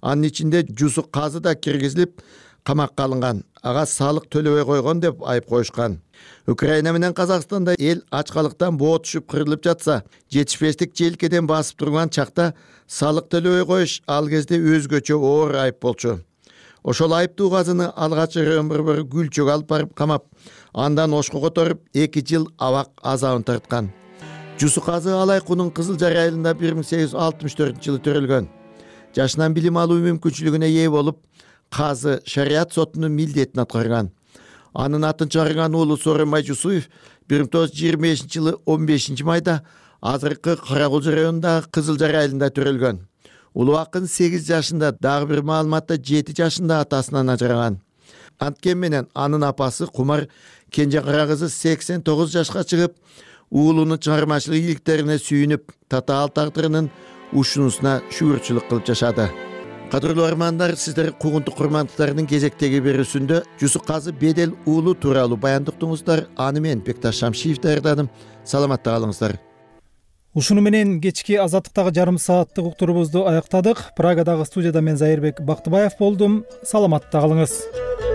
[SPEAKER 5] анын ичинде Жусу Казы да киргизилип, камакка алынган. Ага салык төлөбөй койгон деп айып коюшкан. Украина менен Казакстанда эл ачкалыктан боо түшүп кырылып жатса, жетишпестик желкеден басып турган чакта салык төлөбөй коюш ал кезде өзгөчө оор айып болчу. Ошол айыптуу Казыны алгач Рөмбөр Гүлчөгө алып барып камап, андан ошко которуп эки жыл абак азабын тарткан. Жусу Казы Алайкунун Кызыл Жар айылында бир миң сегиз жүз алтымыш төртүнчү жылы төрөлгөн. Жашынан билим алуу мүмкүнчүлүгүнө ээ болуп, Казы шарият сотунун милдетин аткарган. Анын атын чыгарган уулу Сооронбай Жусуев бир миң тогуз жүз жыйырма бешинчи жылы он бешинчи майда азыркы Каракулчу районундагы Кызыл Жар айылында төрөлгөн. Улуу акын сегиз жашында, дагы бир маалыматта жети жашында атасынан ажыраган. Анткени менен анын апасы Кумар кенже кара кызы сексен тогуз жашка чыгып, уулунун чыгармачылык ийгиликтерине сүйүнүп, татаал тагдырынын ушунусуна шүгүрчүлүк кылып жашады. Кадырлуу армандар, сиздер куугунтук курмандыктарынын кезектеги берүүсүндө Жусу Казы Бедел уулу тууралуу баяндыктыңыздар. Аны мен Бекташ Шамшиев даярдадым. Саламатта калыңыздар.
[SPEAKER 1] Ушуну менен кечки Азаттыктагы жарым сааттык уктуруубузду аяктадык. Прагадагы студияда мен Зайырбек Бактыбаев болдум. Саламатта калыңыз.